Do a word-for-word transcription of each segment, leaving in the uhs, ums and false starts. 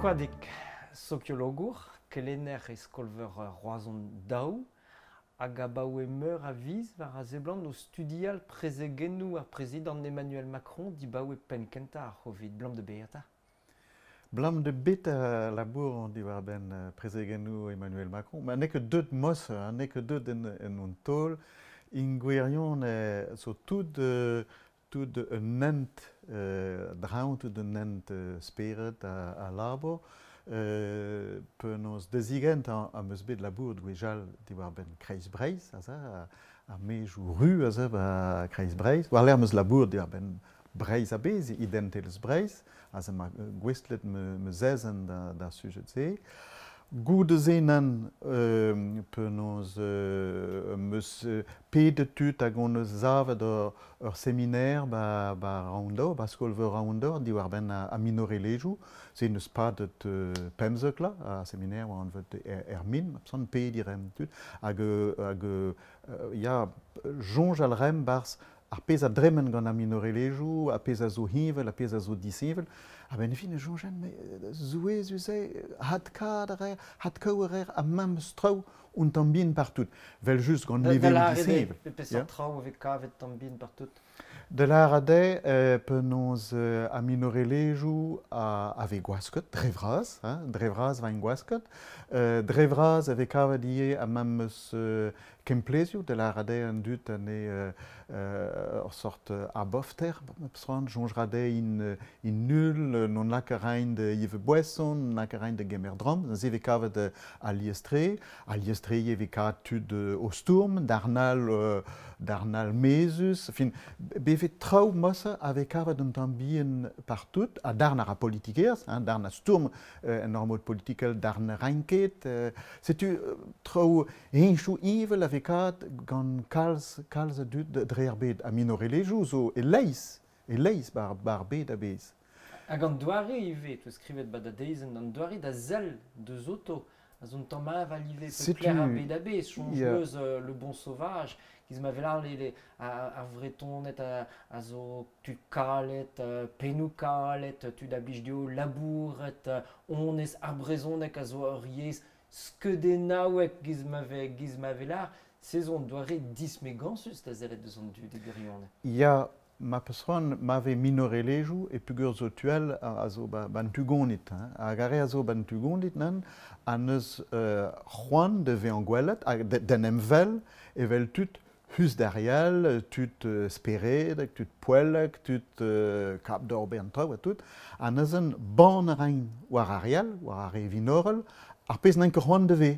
Koadig, sokiologour, kelenner e skol-veur Roazhon daou, hag abaoe meur a viz war a seblant o studial prezegennoù ar prezidant Emmanuel Macron dibaoe penn-kentañ ar C'hovid. Blam de beata. Blam de bet a labour an diwar-benn prezegennoù Emmanuel Macron. Ma n'eo ket deut mos, n'eo ket deut en, en un taol. Ingwirion zo tout, tout un hent euh, draoñ, tout un hent euh, spered a, a labour. Euh, penaos dezigent an, am eus bet labour gwejal diwar-benn Kreiz Breizh, aze, ar mejou ru aze ba Kreiz Breizh. War lec'h am eus labour diwar-benn Breizh a-bezh, identelezh Breizh, aze ma gouestlet me, me zezenn da, da sujet-se. Goude se nan euh, penaos euh, meus pedet tud hag on eus savet ur, ur seminer ba, ba Raoundor, ba skol-veur Raoundor, diwar-benn a, a minorelezhioù. Se neus padet euh, pemzek la, a seminer war anvet er, er min, absant pedi rem tud, hag, hag euh, ya, soñj al rem barz ar pezh a dremen gant ar minorelezhioù, ar pezh a zo heñvel, ar pezh a zo disheñvel. A ben fin e soñjen, me zouezus eo, hadkaat a reer, hadkaou a reer, ha memes traoù un tamm bihan partout. Vel just gant niveloù disheñvel. Da peseurt traoù a vez kavet tamm bihan partout? Da lâret eo penaos ar minorelezhioù a, a vez gwasket, dre vras, hein, dre vras vaint gwasket. Euh, dre vras a vez kavet ivez ha memes euh, kemplezioù, da lâret eo an dud ane euh, euh, ur sort abofter, soñj soñj in, in nul, non lak a raint de Yves Boisson, non lak a raint de gemer dramm, se vez kavet alies-tre, alies-tre e vez kavet tud o stourm, darnal, darnal mezus, fin, bevet traoù mosse a vez kavet un tamm bihan partout, ha darn a ra politikerezh, hein, darn a stourm euh, en ur mod politikel, darn a raint ket, euh, setu traoù heñchoù evel a vez kavet gant kalz, kalz a dud dre ar bed, ha minorelezhioù zo e-leizh, e-leizh bar, bar bed a-bezh. Hag an doare ivez, teus skrivet ba da dezenn, an doare da sell deus oto, a zo un tamm aval ivez, pe ar bed a-bezh, soñj yeah. eus euh, Le Bon Sauvage, giz ma vel ar le, ar Vretoned a, a zo tud kalet, uh, pennoù kalet, tud a blij dezho labouret, onez ar brezhoneg a zo ur yezh skeudennaouek giz ma ve, giz ma vel ar, se zo an doare dismegañsus da sellet deus an dud e gwirionez. Ya, ma peus c'hoant ma vez minorelezhioù e pugur zo tuel a, a zo ba, ban tugonit. Hein. Hag ar re a zo ban tugonit nan, a neus euh, c'hoant de vezañ gwelet, hag d'en em vel evel tud hus d'arial, tud euh, speredek, tud poellek, tud euh, kap d'or ben traoù ha tout, a neuzen ban a raint war arial, war ar re vinorel, ar pezh n'en ket c'hoant de ve.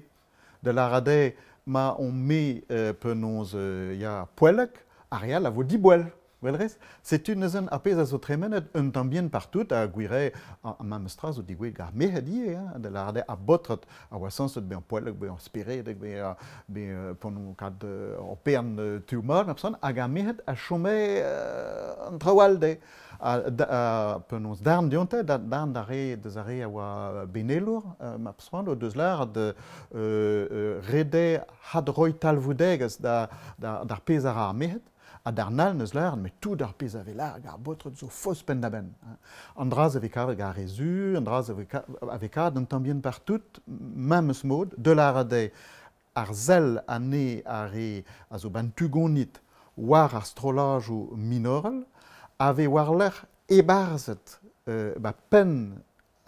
Da lâret eo ma on me euh, penaos euh, ya poellek, arial a vo diboell. Welrez, setu neuzen ar pezh a zo tremenet un tamm bihan partout a gwire a, a memes tra zo digouezet gant ar merc'hed ivez, hein, da lâret eo ar baotred a oa sañset bezañ poellek, bezañ speredek, bezañ bezañ p'on kad ur pern tu mat, ma peus hag ar merc'hed a chome euh, an traoù all dezhe. A, a, penaos darn dionte, da, darn da re deus ar re a oa benelour, euh, ma peus o deus lâret euh, euh, rede hadroi talvoudegezh da, da, d'ar pezh a ra ar merc'hed. Ha darn all neus lâret, met tout ar pezh a vez lâret ar baotred zo faos penn-da-benn. An dra a vez kavet gant ar re zu, an dra a vez kavet un tamm bihan partout, memes mod, de lâret eo ar sell ane ar re a zo ban tugonit war ar strollajoù minorel, a vez war-lerc'h ebarzhet euh, ba penn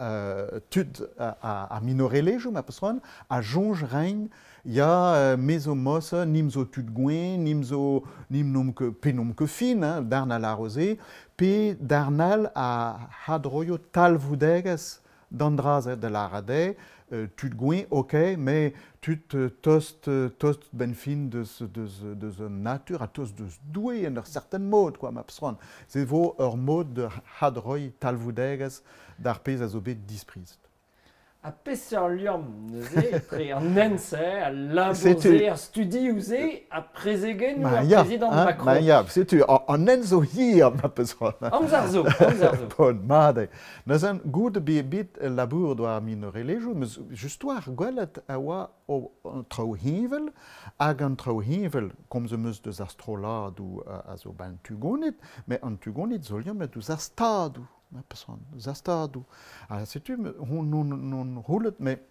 euh, tud a, a, a minorelezhioù, ma peus c'hoant, a soñj rein ya euh, me zo mos, nim zo tud gwen, nim zo nim nom ket pe nom ket fin, hein, darn a lâro se, pe darn all a hadroio talvoudegezh d'an dra-se da lâret eo, euh, tud gwen, ok, mais tud euh, tost, tost ben fin deus, deus, deus an natur, ha tost deus doue en ur certain mod, quoi, ma peus c'hoant. Se vo ur mod de hadroi talvoudegezh d'ar pezh a zo bet disprizet. Ha peseurt liamm neuze etre an hent-se, al labour-se, ar studioù-se, ha prezegennoù ar prezidant Macron. Ma ya, setu, an hent zo hir, ma peus c'hoant. Amzer zo, amzer zo. Bon, mat eo. Neuzen, goude bet bet labour doa ar minorelezhioù, meus just war gwelet a oa an traoù heñvel, hag an traoù heñvel, komz am eus deus ar strolladoù a zo ban tugonit, met an tugonit zo liammet deus ar stadoù. Ma peus c'hoant, eus ar stadoù. Ha setu, hon non roulet, met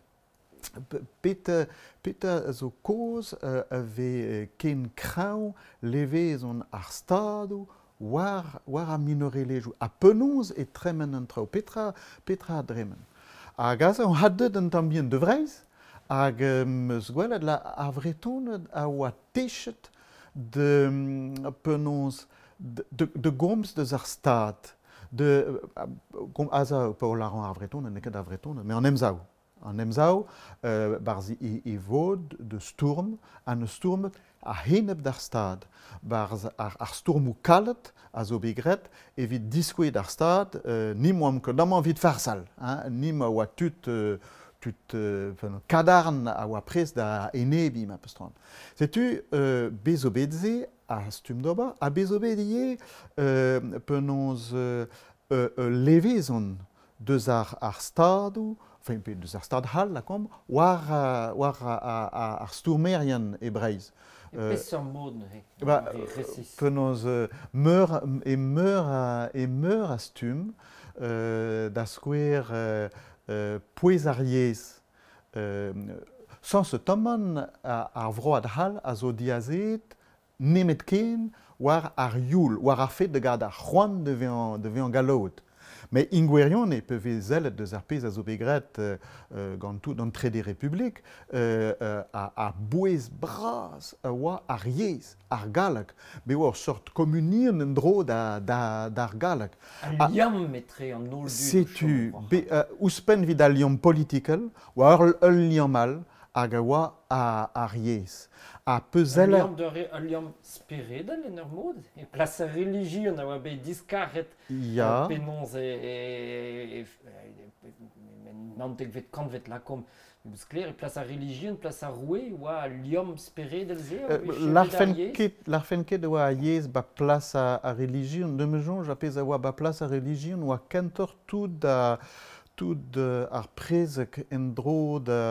peta, peta zo kaoz uh, a vez ken kreñv levezon ar stadoù war, war ar minorelezhioù. Ha penaos e tremen an traoù, petra, petra a dremen. Hag aze on had deut un tamm bihan de Vreizh, hag um, eus gwelet la ar Vretoned a oa techet de penaos de, de, de gomz deus ar stad. De, uh, aze pa lâran ar Vretoned, n'eo ket ar Vretoned, met an Emsav. An Emsav, euh, barzh e, e vod de stourm, an eus stourmet a henep d'ar stad. Barzh ar, ar stourmoù kalet a zo bet graet evit diskouez d'ar stad, euh, nim oamp ket amañ evit farsal, hein, nim a oa tud, euh, tud euh, enfin, kadarn a oa prest da enebiñ ma peus c'hoant. Setu euh, bez zo bet se a stumm d'ober, ha bez zo bet ivez euh, penaos euh, euh, levezon deus ar, ar stadoù, enfin, deus ar stad c'hall, lakaomp, war, uh, war ar, ar, ar stourmerien e Breizh. E peseurt mod neuze? Ba, penaos meur, e meur a, e meur a stumm, euh, da skouer euh, euh, pouez ar yezh. Euh, sans se tomman ar vroad c'hall a zo diazet nemet ken war ar youl, war ar fet de gad ar c'hoant de vezañ de vezañ galloud. Mais ingwerion e pe zellet deus ar pezh a zo bet graet euh, gant tout an Trede Republik euh, euh, a, a bouez bras a oa ar yezh, ar galleg. Bet oa ur sort kommunien en dro da, da, d'ar galleg. Al liamm etre an holl dud. Setu, be, euh, ouzhpenn evit al liamm politikel, oa ur, ul liamm all hag a oa ar yezh. Ha peuzeller... Ul liamm, de, ul liamm speredel en ur mod, e plas ar relijion a oa bet diskaret ya. Penaos e, e, e, e, naontekvet kantvet lakaomp sklaer, e plas ar relijion, plas ar roue, oa al liamm speredel se a oa L'arfen ket, l'arfen ket oa ar yezh ba plas ar, ar relijion, de me soñj ar pezh a oa ba plas ar relijion oa kentoc'h tout a, tout ar prezeg en-dro da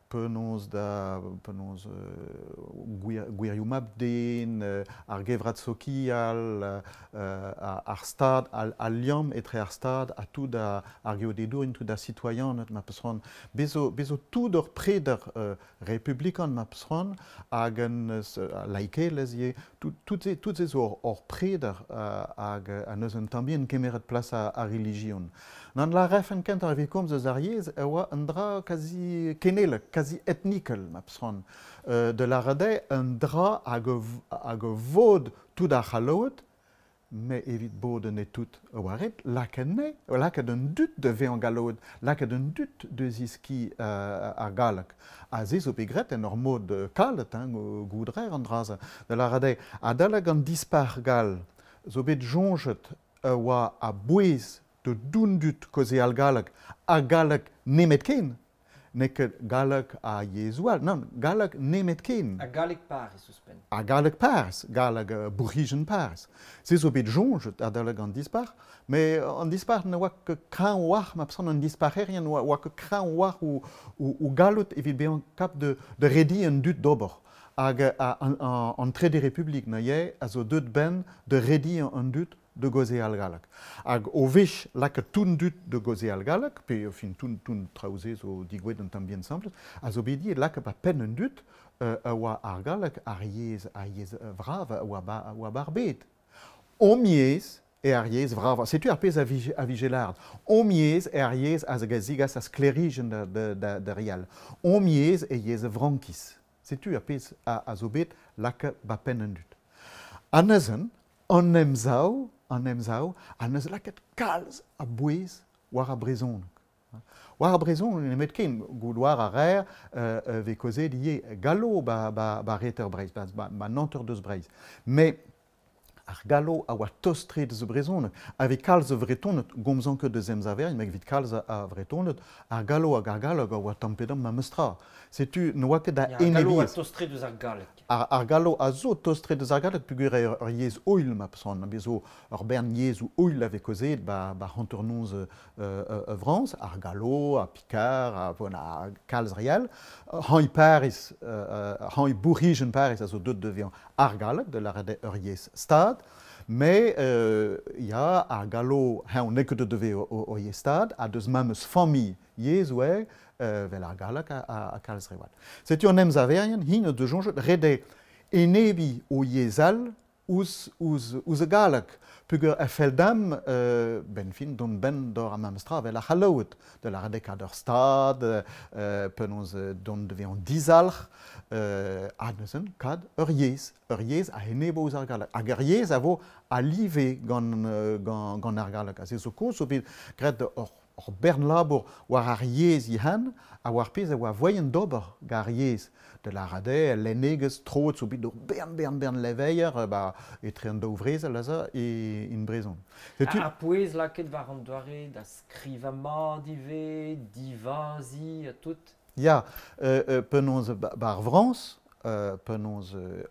penaos da penaos euh, gwirioù mab-den, euh, ar gevrat sokial, euh, ar stad, al, al liamm etre ar stad ha tout ar, ar geodedourien, tout ar citoyened ma peus c'hoant. Bez zo, bez zo tout ur preder euh, republikan ma peus c'hoant hag un euh, laikelezh ivez, tout, tout se, tout se zo ur, ur preder euh, hag a neus un tamm bihan kemeret plas ar, ar relijion. Nan la refen kentoc'h evit komz eus ar yezh e oa un dra kazi kenelek, kazi etnikel, ma peus c'hoant. Euh, de la rade un dra hag hag vod tout ar c'halloed, met evit bod ne tout a oa ret, lakaet ne, lakaet un dud de vezañ galloed, lakaet un dud de ziski euh, ar galleg. Ha se zo bet graet en ur mod kalet, hein, goudrer an dra-se. De la rade, adalek an dispac'h gall, zo bet soñjet a oa a bouez de doun dud kaozeal galleg, ha galleg nemet ken. N'eo ket galleg a yezhoù all, nann, galleg nemet ken. Ha galleg Paris ouzhpenn. Ha galleg Paris, galleg uh, bourc'hijenn Paris. Se zo bet soñjet adalek an dispac'h, met an dispac'h ne oa ket kreñv war, ma peus c'hoant an dispac'herien oa, oa ket kreñv war o, o, o galloud evit bezañ kap de, de rediñ an dud d'ober. Hag an, an, an Trede Republik neuze a zo deut ben de rediñ an dud de gaozeal galleg. Hag o wech lakaet tout an dud de gaozeal galleg, pe fin tout, tout traoù-se zo digouet un tamm bihan simplet, a zo bet dit lakaet ba penn an dud euh, a oa ar galleg ar yezh, ar yezh vrav a oa ba, a oa bar bed. Om yezh e ar yezh vrav. Setu ar pezh a vije, a vije lâret. Om yezh e ar yezh a zigas a sklêrijenn da, da, da, da rial. Om yezh e yezh frankiz. Setu ar pezh a, a zo bet lakaet ba penn an dud. An neuzen, an emsav, an emsav, a neus lakaet kalz a bouez war ar brezhoneg. War ar brezhoneg nemet ken, goût war ar reer euh, vez kaozeet ivez gallo ba, ba, ba reter Breizh, ba, ba, ba nanter deus Breizh. Mais ar gallo a oa tost-tre deus brezhoneg. Ave kalz a vretoned, gomzan ket deus emsaverien, met evit kalz a vretoned, ar gallo hag ar galleg a oa tamm pe damm memes tra. Setu ne oa ket da Ya, ar gallo a enebiezh. tost-tre deus ar galleg. Ar, ar gallo a zo tost-tre deus ar galleg peogwir eo ur yezh oil ma peus c'hoant. Bez zo ur bern yezhoù oil a vez kaozeet ba, ba hanternoz euh, euh, Frañs, ar gallo, ar Picard, ar, bon, ar kalz rial. Hañ Paris, euh, hañ bourc'hijenn Paris a zo deut de vezañ ar galleg, de lâret ur yezh stad. Mais euh, ya ar gallo hein on ket de o, o, o stad a deus memes famille yezh oe euh, vel ar galleg a, a, a kalz rewal. Setu an emsaverien hin de soñjet rede enebi o yezh all ouzh ouzh ouzh galleg pugur a feldam euh, ben fin don ben d'or am amstra vel ar c'hallout de la redekad ur stad euh, penaos don de an dizalc'h euh, a neuzen kad ur yezh ur yezh a enebo ouzh ar galleg hag ur yezh a vo a live gant gant gant ar galleg a se zo koz zo bet graet ur ur bern labour war ar yezh ihan a war pezh a oa voien d'ober gar yezh de la rade lennegezh troet zo bet ur bern bern bern leveier ba etre an daou vrezel aza e in brezhon. Setu ar pouez lakaet war an doare da skrivañ mat ivez, divazi ha tout. Ya, euh, euh, penaos bar Frañs, euh, penaos euh,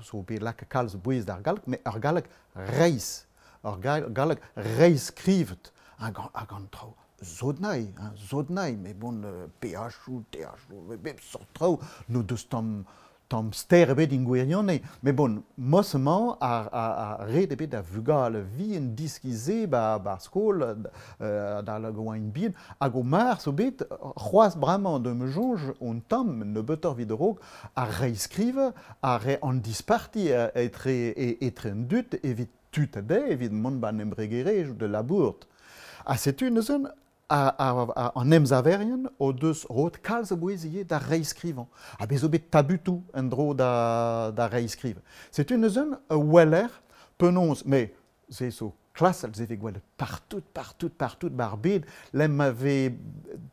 zo bet lakaet kalz bouez d'ar galleg, met ar galleg reizh, ar galleg reizh skrivet hag hag an traoù zodnai, hein, zodnai, mais bon, euh, P H ou T H ou, bep sort traoù, no deus tamm, tamm ster ebet in gwirionez. Mais bon, mosemañ ar, ar, ar red ebet da vugale vihan diskize ba, ba skol, euh, da la goain bihan, hag o mar zo bet, c'hoazh bremañ de me soñj on tamm nebeutoc'h evit a-raok, ar reizhskrivañ, ar re an disparti etre, etre an dud evit tud a dezhe, evit mont ban embregerezh de labourt. Ha setu neuzen a, a, a, an emsaverien o deus roet kalz a bouez ivez da reizhskrivañ. Ha bez zo bet tabutoù en-dro da, da reizhskrivañ. Setu neuzen a weler penaos, mais se zo klasel, se vez gwelet partout, partout, partout bar bed, lem ma vez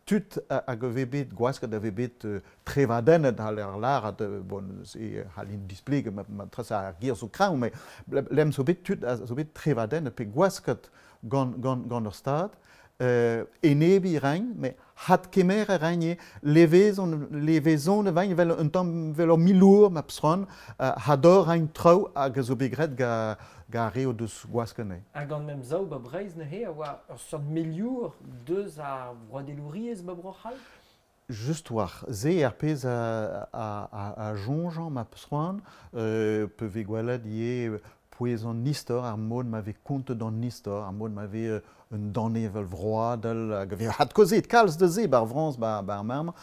tud hag a vez bet gwasket a vez bet euh, trevadennet a l'er lâret, bon, se c'hallin displeget, ma, ma tres ar gir zo kreñv, mais lem zo bet tud a zo bet trevadennet pe gwasket gant, gant, gant ur stad, euh, enebi rein, mais hat kemer a rein eo, levezon, levezon a vain vel un tamm vel ur milour ma psron, euh, hador rein traoù hag a zo bet graet ga, ga re o deus gwaskene. Hag an mem zaou ba Breizh neuze a oa ur seurt meliour deus ar vroadelouriezh ba Bro-C'hall? Just war, se ar pezh a, a, a, a soñjañ ma psron, euh, pe vez gwelet ivez pouez an istor, ar mod ma vez kontet an istor, ar mod ma vez euh, un danevel vroadel, hag a vez hat kozet kalz de se bar Frañs bar, bar merm,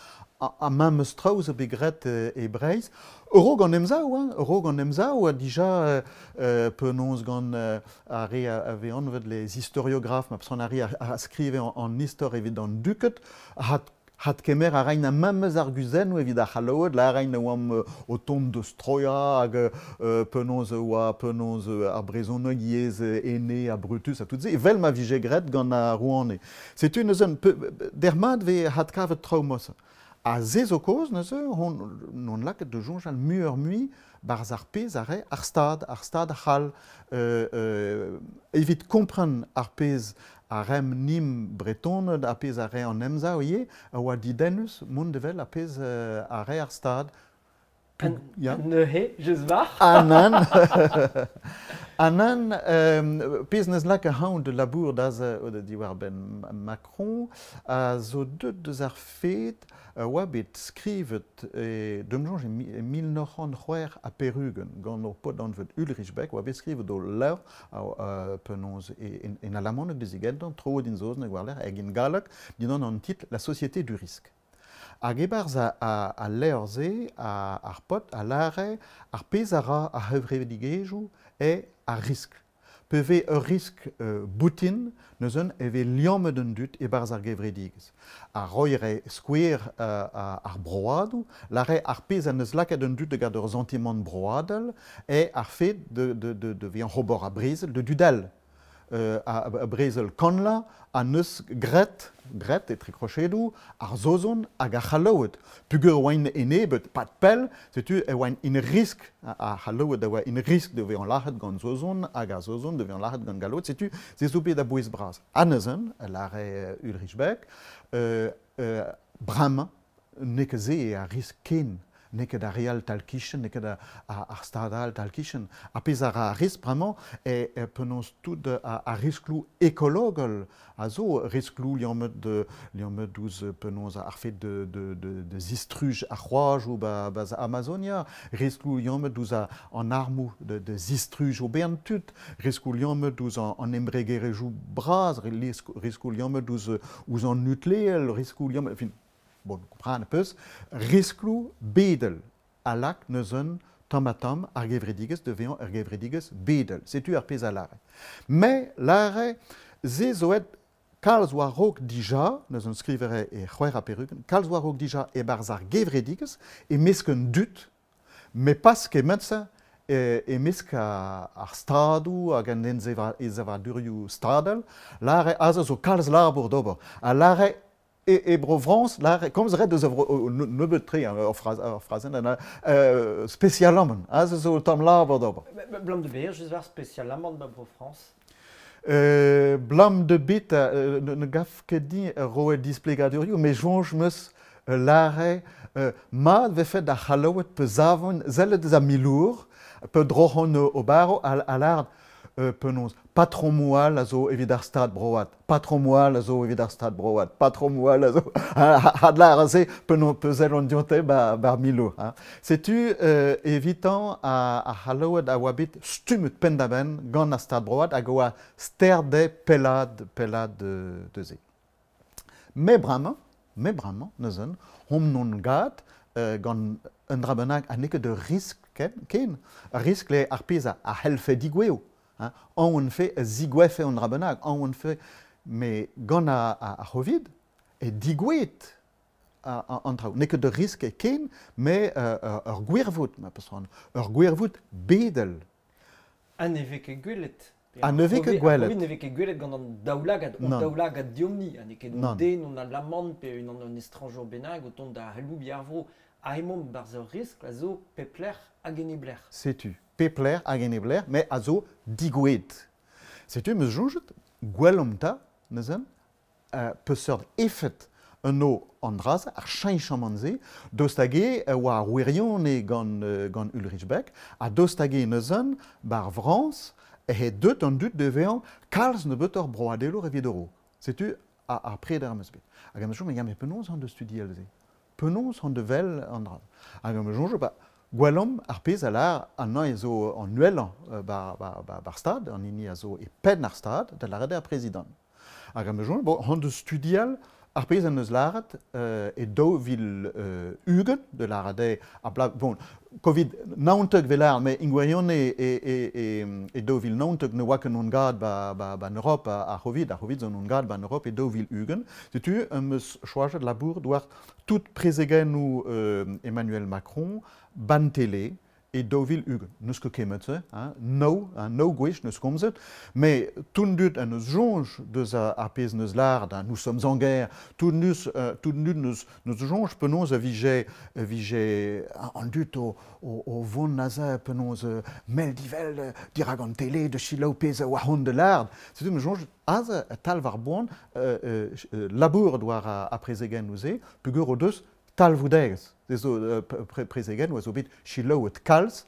a, a memes traoù zo bet graet e, e Breizh. Euro gant emsav, hein, euro gant emsav, a dija euh, euh, penaos gant euh, ar re a, a vez anvet les historiographes, ma pson ar re a, a skrive an, an istor evit an duket, hat hat kemer a rein a memes ar guzennoù evit ar c'halloed, la rein a oamp o tont deus Troia hag euh, penaos oa penaos ar brezhoneg yezh ene ha Brutus ha tout se, evel ma vije graet gant ar rouane. Setu neuze dermat vez hat kavet traoù mosa. Ha se zo kaoz neuze hon non lakaet de soñjal muioc'h mui barzh ar pezh a re ar stad, ar stad c'hall, euh, euh, evit kompren ar pezh a rem nim bretoned a pezh a re an emsav ivez, a oa didennus mont evel a pezh euh, a re ar stad. An, ya. Neuze, just war. Anan. Anan, euh, pezh neus lak a hañv de labour da'z euh, diwar ben Macron, a zo deut deus ar fed a oa bet skrivet e deum soñj e mil nav c'hant c'hwec'h ha perugen gant ur paotr anvet Ulrich Beck, oa bet skrivet o levr a, a, penaos e, en, en alamaneg dezigentan, troet in saozneg war-lerc'h hag in galleg, dindan an titl La Société du risque. Hag e-barzh a, a, a levr-se, a, ar paotr a lâre ar pezh a ra ar c'hevredigezhioù eo ar riskl. Pe vez ur riskl euh, boutin, neuzen e vez liammet an dud e-barzh ar gevredigezh. Ar roiñ re skouer euh, ar broadoù, lâre ar pezh a neus lakaet an dud da gant ur santimant broadel eo ar fed de, de, de, de vezañ c'hobor a brezel, de dudel. Euh, a, a brezel kanla a neus graet, graet etre krochedoù, ar Saozon hag ar C'hallaoued. Pugur oaint enebet, pat pell, setu e oaint in risk, ar C'hallaoued a oa in risk de vezañ lac'het gant Saozon hag ar Saozon de vezañ lac'het gant Gallaoued, setu se zo bet a bouez bras. Ha neuzen, lâre Ulrich Beck, euh, euh, bremañ n'eo ket se ar risk ken. N'eo ket ar real tal-kichen, n'eo ket ar stad all tal-kichen. Ar pezh a ra ar risk bremañ e, e penaos tout ar riskloù ekologel a zo riskloù liammet de liammet ouzh penaos ar fet de de de de zistruj ar c'hoajoù ba ba Amazonia, riskloù liammet ouzh an armoù de de zistruj o bern tud, riskloù liammet ouzh an embregerezhioù bras, riskloù liammet ouzh ouzh an nukleel, riskloù liammet, enfin, bon, kompren peus, riskloù bedel a lak neus un tamm ha tamm ar gevredigezh de vezañ ar gevredigezh bedel. Setu ar pezh a lâre. Mais lâre, se zo aet kalz war-raok dija, neus un skrivere e c'hwec'h ha perugen, kalz war-raok dija e-barzh ar gevredigezh e-mesk un dud, met pas kement-se e-mesk ar stadoù hag an ensavadurioù stadel, lâre aze zo kalz labour d'ober. Ha lâre e, e bro Frañs, lâre, komz ret deus a vro, nebeut tre, ur fraz, ur frazenn, euh, spesialamant, aze zo tamm labour d'ober. Blam de ber, just war spesialamant ba bro Frañs? Euh, blam de bet, euh, ne, ne gaf ket din roet displegadurioù, mais soñj meus lâre, euh, mat vefe da c'hallaoued pe zavon, sellet deus a milour, pe droc'hon o baro, a, a lâret, euh, penaos, patron moal a zo evit ar stad broad, patron moal a zo evit ar stad broad, patron moal a zo, had lâr a se, penaos pezel an dionte ba, bar milour. Hein. Setu euh, evitan a, a c'hallaoued a oa bet stummet penn-da-benn gant ar stad broad hag oa sterde pellad, pellad de, de ze. Me bremañ, me bremañ, neuzen, hom non gad, euh, gant un dra bennak ha n'eo ket ur risk ken, ken. Ar risk le ar pezh a, a c'hellfe digouezho. Hein, an fe zigouefe an dra bennak, an fe, me gant a, a, a Covid, e digouet an traoù. N'eo ket ur risk e ken, me euh, ur gwirvoud, ma peus ran, ur gwirvoud bedel. Ha ne vez ket gwelet. Ha ne vez ket gwelet. Ar Covid ne vez ket gwelet gant an daoulagad, an daoulagad diomni, ha n'eo ket un den, on alamant, pe un an estrañjour bennak, o tont da c'halloubi ar vro. Ha emaomp barzh ur risk a zo pep lec'h hag en e blec'h. Setu. Pep lec'h hag en e blec'h, mais a zo digouet. Setu meus soñjet, gwellomp ta, neuzen, euh, peseurt efed un o an dra-se, ar cheñchamant-se, daoust hag eo oa ar wirion eo gant, euh, gant Ulrich Beck, ha daoust hag eo neuzen, bar Frañs, e deut an dud de vezañ kalz nebeutoc'h broadelour evit eo. Setu ar, ar preder am eus bet. Hag am eus soñjet, mais penaos an deus studiel se? Penaos an devel an dra? Hag am eus soñjet, ba, gwellomp ar pezh a lâr an nañ zo an uhellañ bar, bar, bar, bar stad, an hini a zo e penn ar stad, da lâret ar prezidant. Hag am eus soñjet, bon, an deus studial ar pezh an eus lâret euh, e daou vil euh, ugent, de lâret eo a bla, bon, Covid naontek vel lâret, mais ingwirion e, e, e, e, e daou vil naontek ne oa ket on gad ba, ba, ba en Europe a, a Covid, ar Covid zo on gad ba en Europe e daou vil ugent. Setu am eus choajet labour war tout prezegennoù euh, Emmanuel Macron ban tele e daou vil ugent. N'eus ket kemet-se, hein, no, hein, no gwech n'eus komzet, mais tout dud an eus soñj deus ar pezh n'eus lâret, hein, nous sommes en guerre, tout neus, euh, tout dud n'eus, n'eus soñj penaos a vije, a vije an dud o, o, o vont aze penaos euh, mell divel dirak an tele de selaou pezh a oa hon de lâret. Setu me soñj aze tal war boan euh, euh, labour war a, a prezegennoù se, peogwir o deus talvoudegezh. Se zo euh, pre, prezegenn oa zo bet selaouet kalz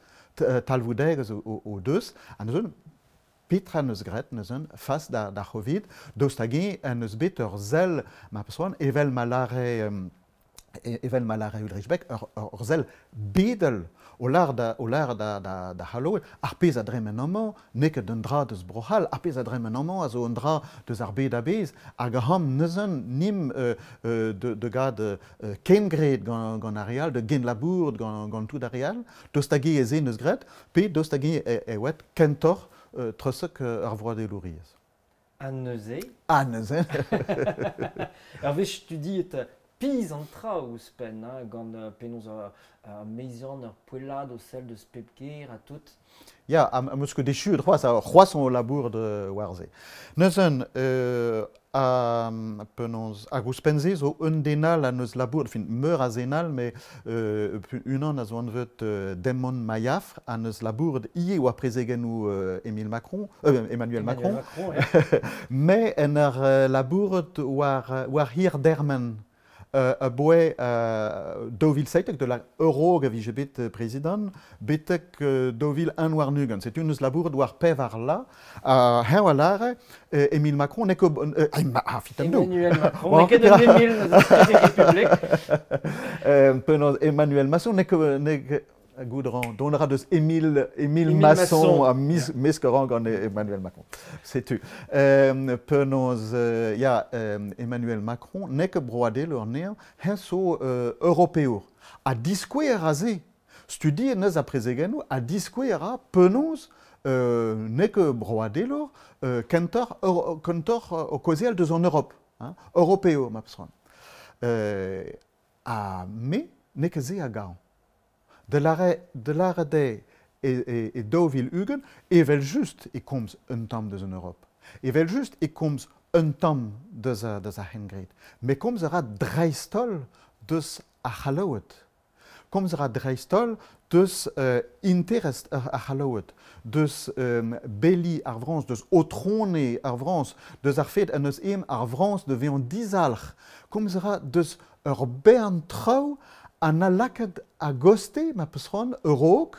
talvoudegezh o, o, o deus, ha neuzen petra neus graet neuzen fas da, da Covid, daoust hag-eñ en eus bet ur sell, ma peus c'hoant, evel ma lâre euh, evel ma lâre Ulrich Beck, ur, ur sell bedel o lâr da, o lâr da, da, da c'halloed, ar pezh a dremen amañ, n'eo ket un dra deus Bro-C'hall, ar pezh a dremen amañ a zo un dra deus ar bed a-bezh, hag aham neuzen nim euh, euh, de, de gad euh, kengred gant, gant ar re all, de genlabour gant, gant tout ar re all, daoust hag-eñ ez eo neus graet, pe daoust hag-eñ e, e oet kentoc'h euh, treusek ar vroadelouriezh. Ha neuze? Ha neuze. Ur wech studiet piz an tra ouzhpenn, hein, gant euh, penaos ur uh, meizian, ur poellad o sell deus pep ker ha tout. Ya, am, am eus ket echu c'hoazh, c'hoazh on labour de war se. Neuzen, euh, a, penaos, hag ouzhpenn se zo un den all a neus labour, fin, meur a zen all, mais euh, unan a zo anvet euh, Demon Maillafre, a neus labour ivez oa prezegennoù euh, Emile Macron, euh, Emmanuel, Emmanuel Macron, Macron ouais. mais en ur labouret war, war hir dermen. euh, a boe euh, daou vil seitek de la Euro a vije bet euh, prezident, betek euh, daou vil un war nugent. Setu neus labouret war pevar la, a heñ a lare, euh, Emile Macron n'eo ket... Euh, ah, fitam do. Emmanuel Macron, n'eo ket un Emile, n'eus République. euh, penaos Emmanuel Masson n'eo ket... n'eo ket Goudran, don ra deus Émile, Émile, Émile Masson, Masson. a mis, mesk ran gant Emmanuel Macron. Setu. Euh, penaos, euh, ya, euh, Emmanuel Macron n'eo ket broadelour anezhañ, heñ zo euh, europeour. Ha diskouez a se. Studiet neus a prezegennoù, ha diskouez a ra penaos euh, n'eo ket broadelour euh, kentoc'h euro, kentoc'h o kaozeal deus an Europe. Hein, europeour, ma peus c'hoant. Euh, ha me n'eo ket se a gaon. De l'arrêt de l'arrêt e, e, e daou vil ugent, evel just e komz un tamm deus an Europe. Evel just e komz un tamm deus a, deus a c'hengred. Met komz a ra dreist-holl deus ar C'hallaoued. Komz a ra dreist-holl deus euh, interest ar, ar C'hallaoued, deus euh, beli ar Frañs, deus otrone ar Frañs, deus ar fet an eus em ar Frañs de vezañ dizalc'h. Komz a ra deus ur bern traoù an a lakaet a goste, ma peus c'hoant, a-raok,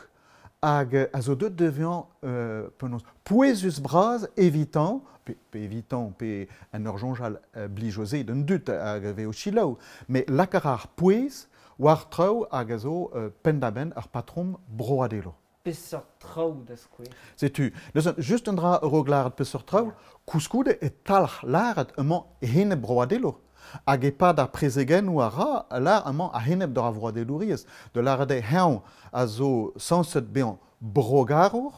hag a zo deut de vezañ euh, penaos pouezus bras evitant, pe, pe evitant, pe an ur soñjal euh, blijoze d'un dud hag a vez o selaou, met lakaat ar pouez war traoù hag a zo euh, penn-da-benn ar patrom broadelour. Peseurt traoù da skouer. Setu, neuze, just un dra a-raok lâret peseurt traoù, koulskoude e talc'h lâret emañ enep broadelour. Hag e-pad ar prezegennoù a ra, lâr emañ a-enep d'ar vroadelouriezh, de lâret eo heñ a zo sañset bezañ brogarour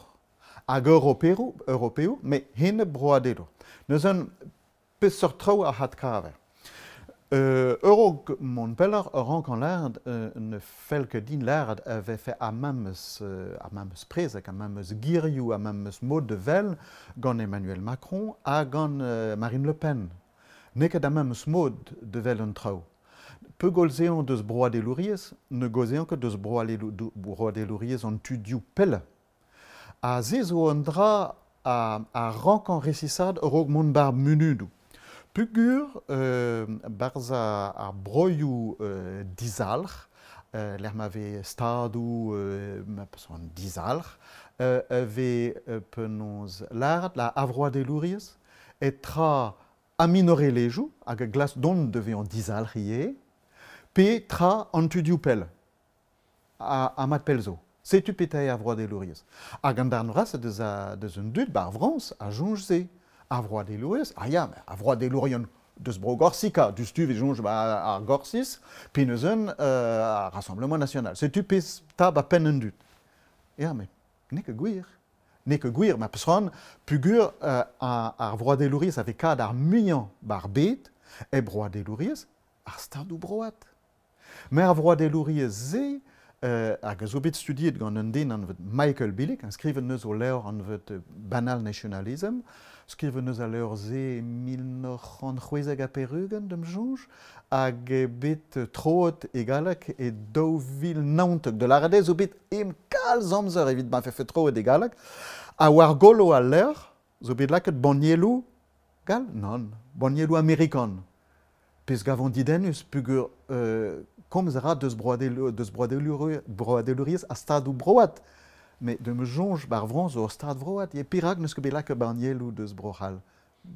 hag europeour, europeour, met enep broadelour. Neuze, peseurt traoù a adkaver. Euh, a-raok mont pelloc'h a rankan lâret euh, ne fell ket din lâret a vefe ar memes, euh, ar memes prezeg, ar memes girioù, ar memes mod de vel gant Emmanuel Macron ha gant euh, Marine Le Pen. N'eo ket ar memes mod de vel an traoù. Pe gaozeont deus broadelouriezh, ne gaozeont ket deus broadelouriezh an tudioù pell. Ha se zo un dra a, a rankan resisaat a-raok mont bar munudoù. Pugur euh, barzh ar broioù euh, dizalc'h, euh, lec'h ma vez stadoù euh, ma peus c'hoant dizalc'h, euh, a vez euh, penaos lâret la avroadelouriezh, e tra a minorelezhioù hag a glask dont de vezañ dizalc'h ivez, pe tra an tudioù pell, a, a mat pell zo. Setu petra eo ar vroadelouriezh. Hag an darn vras deus, a, deus un dud bar Frañs a soñj se. Ar vroadelouriezh, ah ya, ar vroadelourion deus bro Gorsika, deus tu vez soñj ba ar Gorsiz, pe neus un euh, ar Rassemblement National. Setu pezh ta ba penn un dud. Ya, met n'eo ket gwir. N'eo ket gwir, ma peus c'hoant, pugur euh, ar, ar vroadelouriezh a vez kad ar muiañ bar bed, e broadelouriezh ar stadoù broad. Met ar vroadelouriezh se, euh, hag a zo bet studiet gant un den anvet Michael Billig, an skrivet neus o levr anvet Banal Nationalism, skrivet neus al levr se mil nav c'hant c'hwezek ha pevar-ugent d'am soñj, hag eo bet troet e galleg e daou vil naontek. De lâret eo zo bet em kalz amzer evit ma vefe troet e galleg, ha war golo al levr zo bet lakaet bannieloù gall? Nann, bannieloù amerikan. Pezh gavont didennus pugur euh, komz a ra deus broadelour, deus broadelour, broadelouriezh a stadoù broad. Met de me soñj bar Frañs zo ur stad vroad, e perak n'eus ket bet lakaet bannieloù deus Bro-C'hall.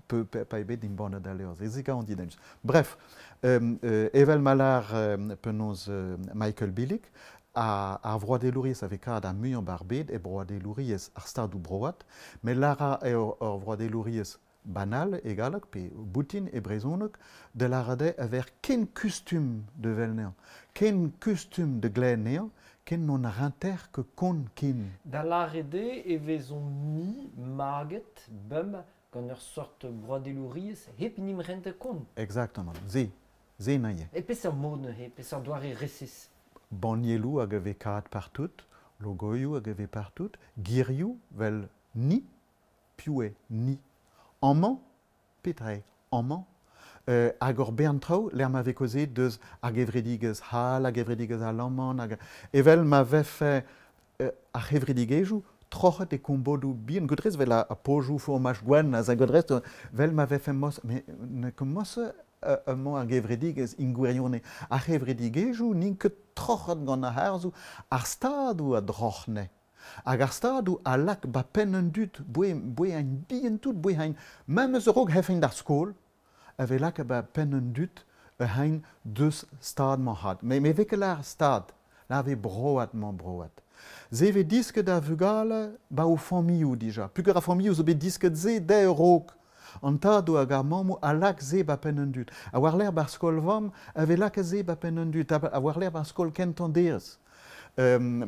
Pe, pe, pa eo bet embannet al levr, se gavont didennus. Bref, euh, euh, evel ma lâr euh, penaos euh, Michael Billig, a, ar vroadelouriezh a vez kad ar muiañ bar bed e broadelouriezh ar stadoù broad, met lâr eo ur vroadelouriezh banal e galleg pe boutin e brezhoneg, de lâret eo a ver ken kustum de vel anezhañ, ken kustum de glen anezhañ, ken n'on rinter ke kon ken. Da lâret eo e vezomp-ni maget bem gant ur sort broadelouriezh hep nim rente kont. Exactement, se, se naie. E peseurt mod neuze, peseurt doare resis? Bannieloù hag a vez kad partout, logoioù hag a vez partout, girioù vel ni, piv eo ni. Amañ, petra eo amañ, euh, hag ur bern traoù, lec'h ma vez kaozeet deus ar gevredigezh c'hall, ar gevredigezh alaman, hag evel ma vefe euh, ar c'hevredigezhioù troc'het e kombodoù bihan, godrez vel a, a pojoù fromaj gwenn, a za godrez, vel ma vefe mos, met ne ket mos emañ ar gevredigezh in gwirionez. Ar c'hevredigezhioù n'int ket troc'het gant ar harzoù, ar stadoù a droc'hne. Hag ar stadoù a lak ba penn an dud, boe, boe ein bihan tout, boe ein, même eus a-raok hefaint d'ar skol, a vez lak ba penn an dud hein deus stad mañ had. Me, me vez ket lar stad, la vez broad mañ broad. Se vez disket da vugale ba o familhoù dija. Pugur ar familhoù zo bet disket se dezhe a-raok. An tadoù hag ar mammoù a lak se ba penn an dud. A war lerc'h bar skol-vamm a vez lakaet se ba penn an dud. A war lerc'h bar skol kentañ derez. Euh,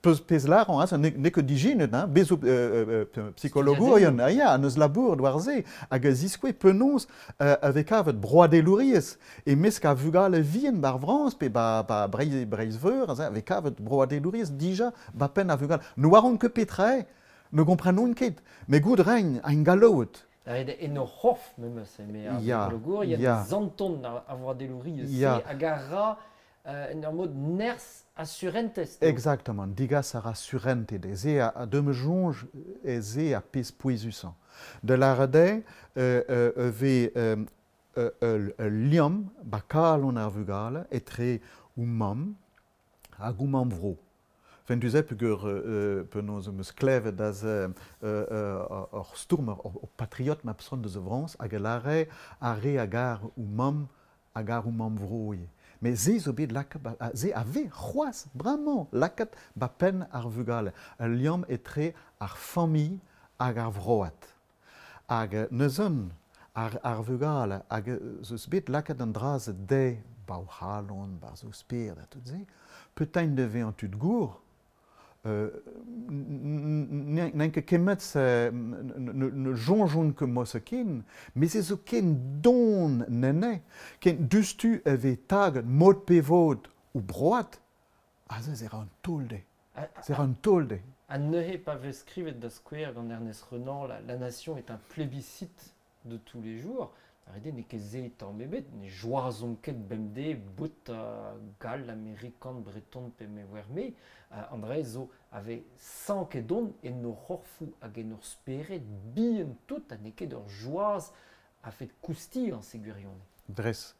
peus pezh lâran, hein, n'eo ket dijinet, hein, bez zo euh, euh, psikologourien, ah ya, an eus labour war se, hag a ziskoue penaos euh, a vez kavet broadelouriezh, e mesk a vugale vihan bar Frañs, pe ba, ba Breizh, Breizh-Veur, a vez kavet broadelouriezh dija ba penn a vugale. Ne oaront ket petra eo, ne gomprenont ket, met goût rein, ein gallout. En o c'horf, memes, eme ar psikologourien, ya. Zanton ar vroadelouriezh se, hag a ra euh, en ur mod nerzh a surentez. Exactement, digas a ra surente de. Se a, a de me soñj e se a pezh pouezusañ. De lâret eo euh, euh, vez euh, ul liamm ba kalon ar vugale etre o mamm hag o mamm vro. Fen tu se peogwir euh, penaos em eus klevet da ze ur stourmer, ur patriot ma peus deus a Frañs hag a lâre ar re a gar o mamm hag ar o mamm vro ivez. Mais se zo bet lakaet, ba, se a vez c'hoazh bremañ lakaet ba penn ar vugale. Ul liamm etre ar familh hag ar vroad. Hag neuzen ar, ar vugale hag zo eus bet lakaet an dra-se dezhe ba o c'halon, ba zo spered ha tout se, peut-être de vezañ tud gour, euh, n'en ket kemmet se ne, ne soñjont ket mo ken, met se zo ken don nene, ken dustu e vez taget mod pe vod ou broad, ah se ra un taol dezhe. Se ra un taol dezhe. Ha neuze pa vez skrivet da skouer gant Ernest Renan, la, la nation est un plébiscite de tous les jours, Arrêtez, n'eo ket se tamm ebet, ne joazont ket bemdez bout uh, gall, amerikan, breton pe me oar me, uh, an dra zo ave sanket don en o c'horfoù hag en ur spered bihan tout ha n'eo ket ur joaz a fet koustiañ se gwirionez. Dres.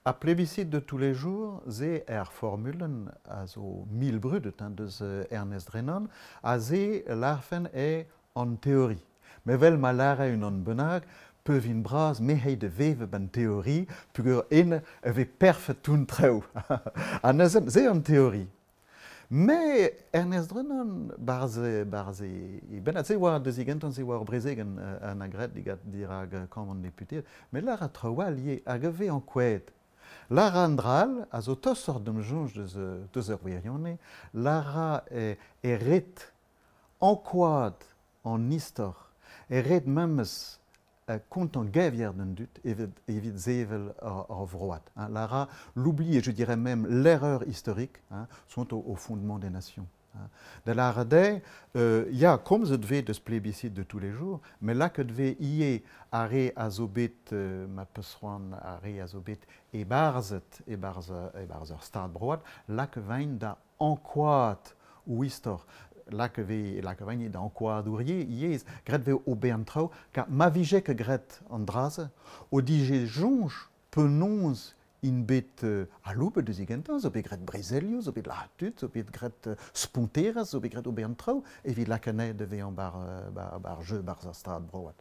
A plébiscite de tous les jours, ze er formulen a zo mil brudet hein, deus Ernest Renan, a ze larfen e an théorie. Me vel ma lâre unan bennak, peuvin bras me hei de veve ban théorie, pugur en e vez perfet toun treo. Ha neuze, se an théorie. Mais Ernest Renan, barze, barze, e ben se oa deus igentan se oa ur brezegen an agret digat dirag kamp an deputeed, met lar a traoù all ivez hag a vez ankouaet. Lar an dra all a zo tostoc'h d'am soñj deus, deus ur wirionez, lar a e, e ret ankouaat an istor, e ret memes kontañ gevier d'an dud evit, evit sevel ar, ar vroad. Hein. Lara, l'oubli et je dirais même l'erreur historique hein, sont au, au fondement des nations. Hein. Da lâret eo, euh, ya, komzet vez deus plébiscite de tous les jours, met lakaet vez ivez ar re a zo bet, euh, ma peus c'hoant, ar re a zo bet e-barzhet, e-barzh, e-barzh ur stad broad, lakaet vaint da ankouaat o istor. Lakaet vez, lakaet vaint da ankouaat o yezh, graet vez ober an traoù, kar ma vije ket graet an dra-se, o dije soñj penaos int bet euh, aloubet deus igentañ, zo bet graet brezelioù, zo bet lazhet tud, zo bet graet euh, sponterezh, zo bet graet ober an traoù, evit lakaat anezhe da vezañ bar, bar, bar jeu barzh ar stad broad.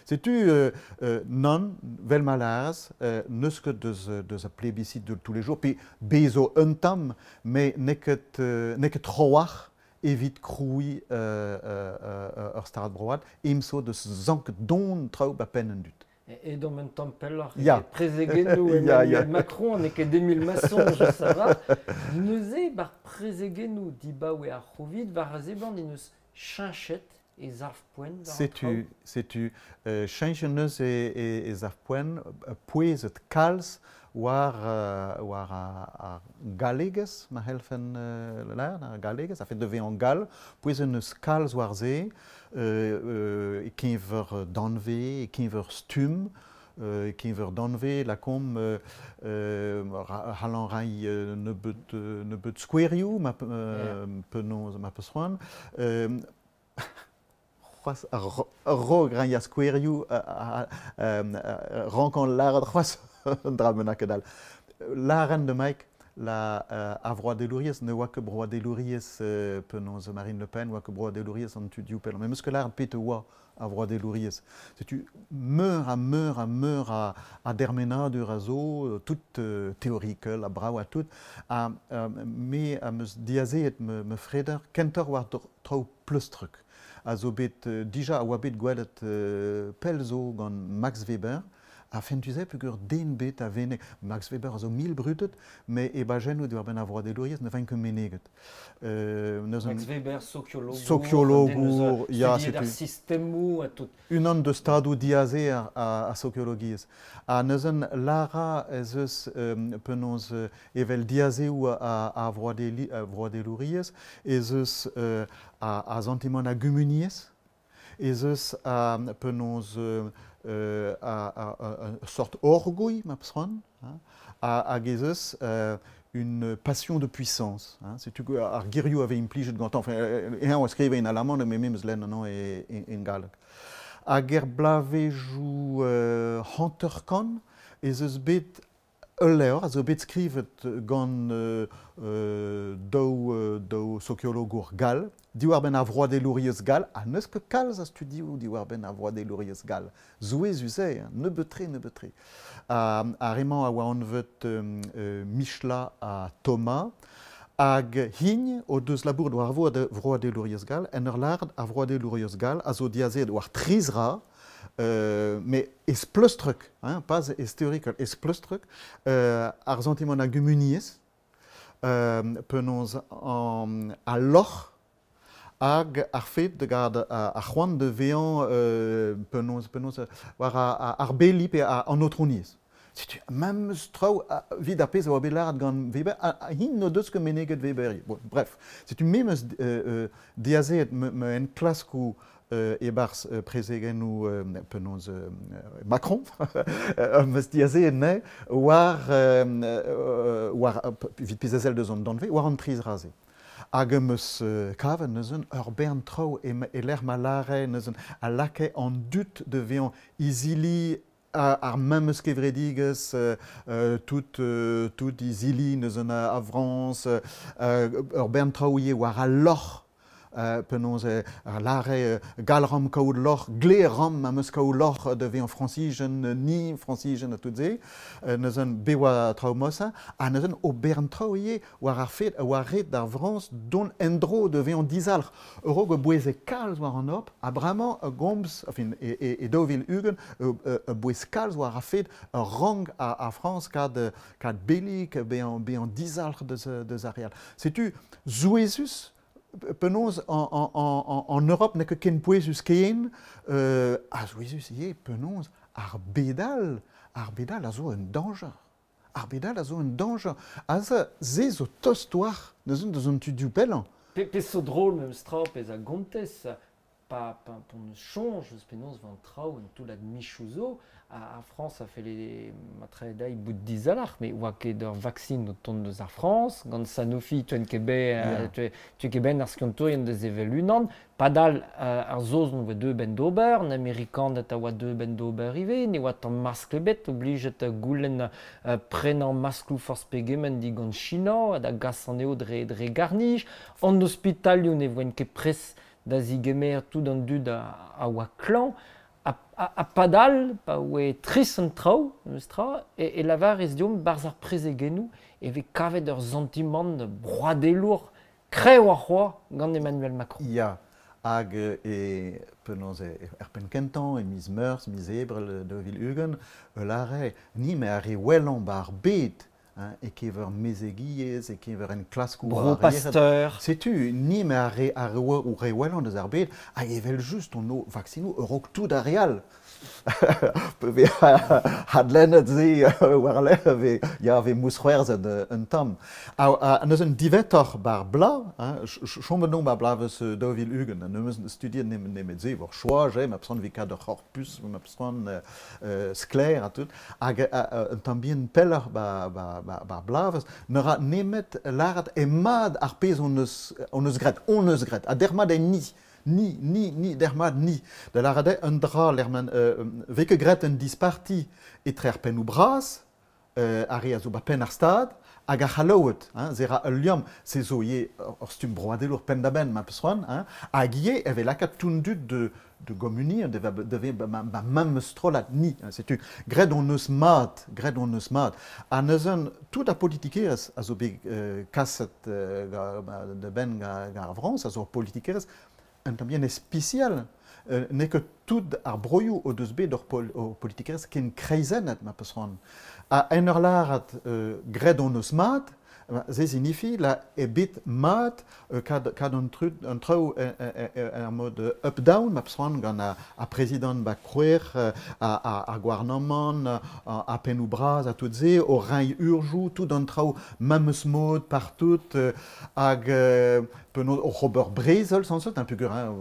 Setu, euh, euh, nann, vel ma lârez, euh, n'eus ket deus, deus a plébiscite de tous les jours, pe bez zo un tamm, met n'eo ket, euh, n'eo ket tro-walc'h evit krouiñ euh, euh, ur stad broad, em zo deus sanket don traoù ba penn an dud. E edomp un tamm pelloc'h Ya. e prezegennoù Ya, Emmanuel ya. Macron n'eo ket Émile Masson, je sa va. Neuze bar prezegennoù dibaoe ar C'hovid war a seblant en eus cheñchet e sav-poent war an traoù. Setu, setu euh, cheñchet neus e, e, e sav-poent, pouezet kalz war, euh, war ar, ar gallegez, ma c'hellfen euh, lâret, ar gallegez, a fet de vezañ gall, pouezet neus kalz war se, euh, euh, e-keñver danvez, e-keñver stumm, euh, e-keñver danvez, lakaomp euh, euh, c'hallan reiñ euh, nebeut, euh, nebeut skouerioù, ma, euh, penaos ma peus c'hoant. Euh, c'hoazh a-raok reiñ ar skouerioù rankan lâret c'hoazh un dra bennak all. Lâren da Mike la euh, a vroadelouriezh ne oa ket broadelouriezh euh, penaos Marine Le Pen oa ket broadelouriezh an tudioù pellañ. Met meus ket lâret pet oa a vroadelouriezh. Setu meur ha meur ha meur a, a dermenadur a zo, tout euh, teorikel ha brav ha tout, ha euh, me am eus diazeet me, me freder kentoc'h war traoù pleustrek. A zo bet, euh, dija a oa bet gwelet euh, pell zo gant Max Weber, a fentuze peogwir den bet a vene Max Weber a zo mil brudet, me e bajennoù diwar benn ar vroadelouriezh ne vaint ket meneget. Euh, Max Weber, sokiologour, sokiologour, ya, setu ar sistemoù ha tout. Unan deus stadoù diaze ar, a, a sokiologiezh. Ha neuzen lara ez eus euh, penaos euh, evel diazeoù a, a vroadeli, a vroadelouriezh, ez eus euh, a, a santimant a gumuniezh, ez eus a penaos euh, Euh, a, a, a, a sort orgouilh, ma peus hein, hag ez eus euh, une passion de puissance. Hein, setu ar girioù avait implijet gantañ, enfin, eñ a skrive en alamant, me memes lenn an e, e, en galleg. Hag er blavejoù euh, hanter-kant ez eus bet ul levr a zo bet skrivet gant euh, euh, daou, euh, daou sokiologour gall, diwar benn ar vroadelouriezh gall, ha n'eus ket kalz a studioù diwar benn ar vroadelouriezh gall. Zouezus eo, nebeut-tre, nebeut-tre. Ha, ar emañ a oa anvet euh, euh, Michla ha Thomas, hag hign o deus labour war vroadelouriezh gall, en ur lâret ar vroadelouriezh gall a zo diazeet war tri zra, Euh, mais ez pleustrek, hein, pas ez teorikel, ez pleustrek, euh, ar santimant a gumuniezh, euh, penaos an, a loc'h hag ar fet de gad ar c'hoant de vezañ euh, penaos, penaos war a, ar beli pe a, an aotrouniezh. Setu memes traoù evit ar pezh a oa bet lâret gant Weber, ha hint n'o deus ket meneget Weber. Bon, bref, setu memes euh, euh, diazeet me, me enklaskoù euh, e-barzh euh, prezegennoù euh, penaos euh, Macron, meus diazeet ne, war, euh, war evit pezh a sell deus an danvez, war an tri zra-se. Hag em eus euh, kavet neuzen ur bern traoù e, e lec'h ma lâre neuzen a lakae an dud de vezañ izili ar memes kevredigezh, euh, tout, euh, tout izili neuzen a, a Frañs, euh, ur bern traoù ivez war al loc'h, Euh, penaos ar lâre gall ram kaout loc'h, gle ram am eus kaout loc'h de vezañ frañsijen, ni frañsijen ha tout se, euh, neuzen be oa traoù mosa, ha neuzen o bern traoù ivez war ar fet, war ret d'ar Frañs don endro de vezañ dizalc'h. A-raok a boueze kalz war an op, ha bremañ a gomz, enfin, e, e, e daou vil ugent, a bouez kalz war ar fet a rang a, a Frañs kad, kad belik, bezañ, bezañ dizalc'h deus, deus ar real. Setu zouezus, penaos en, en, en, en Europe n'eo ket ken pouezus ken, euh, a zouezus ivez penaos ar bedal, ar bedal a zo un dañjer. Ar bedal a zo un dañjer. A ze, se zo tost war, neuzen deus an tudioù pellañ. Pe, pe zo drôle memes tra, pezh a gontez, pa, pa, p'on eus soñj eus penaos vant traoù en toullad michoù zo, a, a Frañs a felle matre dezhi bout dizalc'h, met oa ket ur vaksin o tont deus ar Frañs, gant Sanofi tuen ket bet, yeah. tu, tu ket ben ar skiantourien deus evel unan, padal uh, ar Saozon oa deu ben d'ober, an Amerikaned a oa deu ben d'ober ivez, ne oa tamm maskl ebet, oblijet goulenn uh, prenañ maskloù forzh pegement digant China, ha da gas anezho dre, dre garnij, an ospitalioù ne voent ket pres da zigemer tout an dud a, a oa klañv, a, a, a padal, pa oe tris an traoù, meus tra, e, e lavar ez diomp barzh ar prezegennoù e vez kavet ur santimant broadelour kreñv ar c'hoa gant Emmanuel Macron. Ya, hag e penaos e, er penn kentañ, e miz Meurzh, miz Ebrel daou vil ugent, e lâre ni me ar re wellañ ba ar bed, hein, e kever mezegiezh, e kever en klaskoù Bro Pasteur. Setu, ni me ar re, ar re, re wellañ deus ar bed, hag evel just on o vaksinoù a-raok tout ar re all. Pe hadlennet se war lerc'h ve, ya ve mousc'hoarzhet un tamm. Ha, ha neuzen diwetoc'h bar bla, hein, chommet non bar blavez daou vil ugent, ha nemeus studiet nemet, nemet se, war choaj, eh, ma peus vi kad ur c'horpus, ma peus euh, sklaer ha tout, hag un tamm bihan pelloc'h ba, ba, ba, bar blavez, ne ra nemet lâret e mad ar pezh on eus, on eus graet, on eus graet, ha dermat en ni. Ni, ni, ni, dermat ni. Da lâret eo un dra lec'h ma euh, vez ket graet un disparti etre ar pennoù bras, euh, ar re a zo ba penn ar stad, hag ar C'hallaoued, hein, se ra ul liamm, se zo ivez ur stumm broadelour penn-da-benn ma peus c'hoant, hein, hag ivez e vez lakaat tout an dud de, de gommuniñ, de, de, de, ba, ba memes strollad ni. Hein, setu, graet hon eus mat, graet hon eus mat. Ha neuze, tout ar politikerezh a zo bet euh, kaset euh, ga, ba, da benn ga, ga ar Frañs, a zo ur politikerezh un tamm bihan ispisial. Euh, n'eo ket tout ar broioù o deus bet ur, pol, ur politikerezh ken kreizennet ma peus c'hoant. Ha en ur lâret euh, graet hon eus mat, se signifi la eo bet mat euh, kad, kad an, tru, an traoù er mod up-down ma peus c'hoant gant ar, ar prezidant ba krouer, a, a, ar gouarnamant, a, a pennoù bras a tout se, o reiñ urjoù, tout an traoù memes mod partout, euh, hag euh, penaos oc'h ober brezel sañset, un peogwir, hein,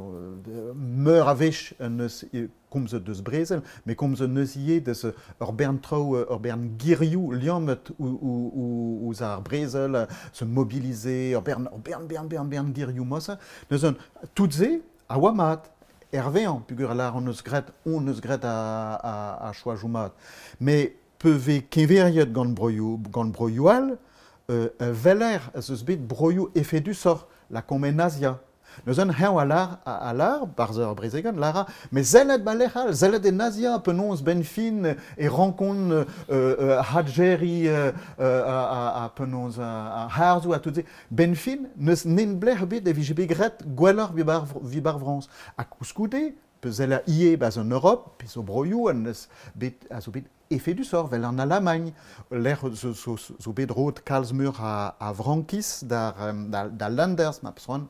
meur a wech en eus komzet deus brezel, met komzet neus ivez deus ur bern traoù, ur bern girioù liammet ouzh ar brezel, se mobiliser, ur bern, ur bern, bern, bern, bern girioù mosa. Neuze, tout se a oa mat, hervezañ, peogwir lâr hon eus graet, hon eus graet a, a, a choajoù mat. Met pe vez keñveriet gant broioù, gant broioù all, euh, weler ez eus bet broioù efedusoc'h, la en Azia. Neuze heñv a lâr, a, a lâr, barzh ur brezegenn, lâra, met sellet ba lec'h all, sellet en Azia, penaos benn fin e rankont euh, euh, hadjeri euh, euh, a, a, a penaos a, a harzoù a tout se. Ben fin, neus nen blec'h bet e vije bet graet gwelloc'h vi bar, vi bar Frañs. Ha koulskoude, pe sell ivez barzh an Europ, pe zo broioù an neus bet, a zo bet efedusoc'h, vel an Alamagn, lec'h zo, zo, zo bet roet kalz meur a, a frankiz d'ar, da, da Landers, ma peus c'hoant.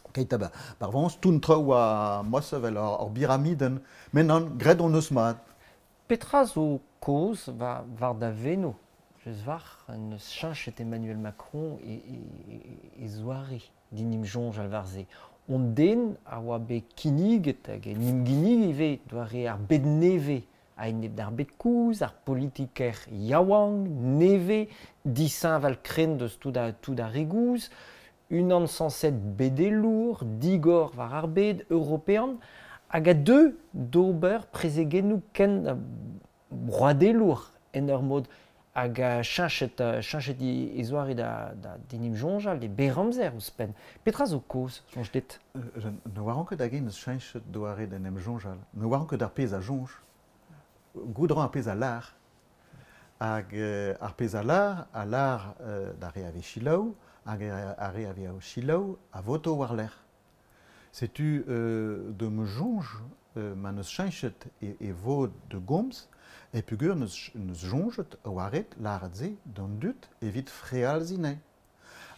Keit ha bar Frañs, tout traoù a mosse vel ur, ur biramidenn. Met nann, graet hon eus mat. Petra zo kaoz war, war da veno, just war, en eus cheñchet Emmanuel Macron e, e, e, e zoare din im soñjal war se. On den a oa bet kinniget hag en im ginnig ivez doare ar bed nevez a-enep d'ar bed kozh, ar politiker yaouank, nevez, disheñvel krenn deus tout a, tout ar re gozh, unan sañset bedelour, digor war ar bed, european, hag a deu d'ober prezegennoù ken broadelour en ur mod hag a cheñchet, cheñchet e zoare da, da din im soñjal, e berr amzer ouzhpenn. Petra zo kaoz, soñj dit? Euh, ne oaran ket hag-eñ neus cheñchet doare d'en em soñjal. Ne oaran ket ar pezh a soñj. Goût ar pezh a lâr. Hag euh, ar pezh a lâr, a lâr euh, d'ar re a vez selaou, hag ar re a vez o selaou a voto war-lerc'h. Setu euh, de me soñj euh, ma neus cheñchet e, e vod de gomz, e peogwir neus, neus soñjet oaret lâret se d'an dud evit frealziñ anezhe.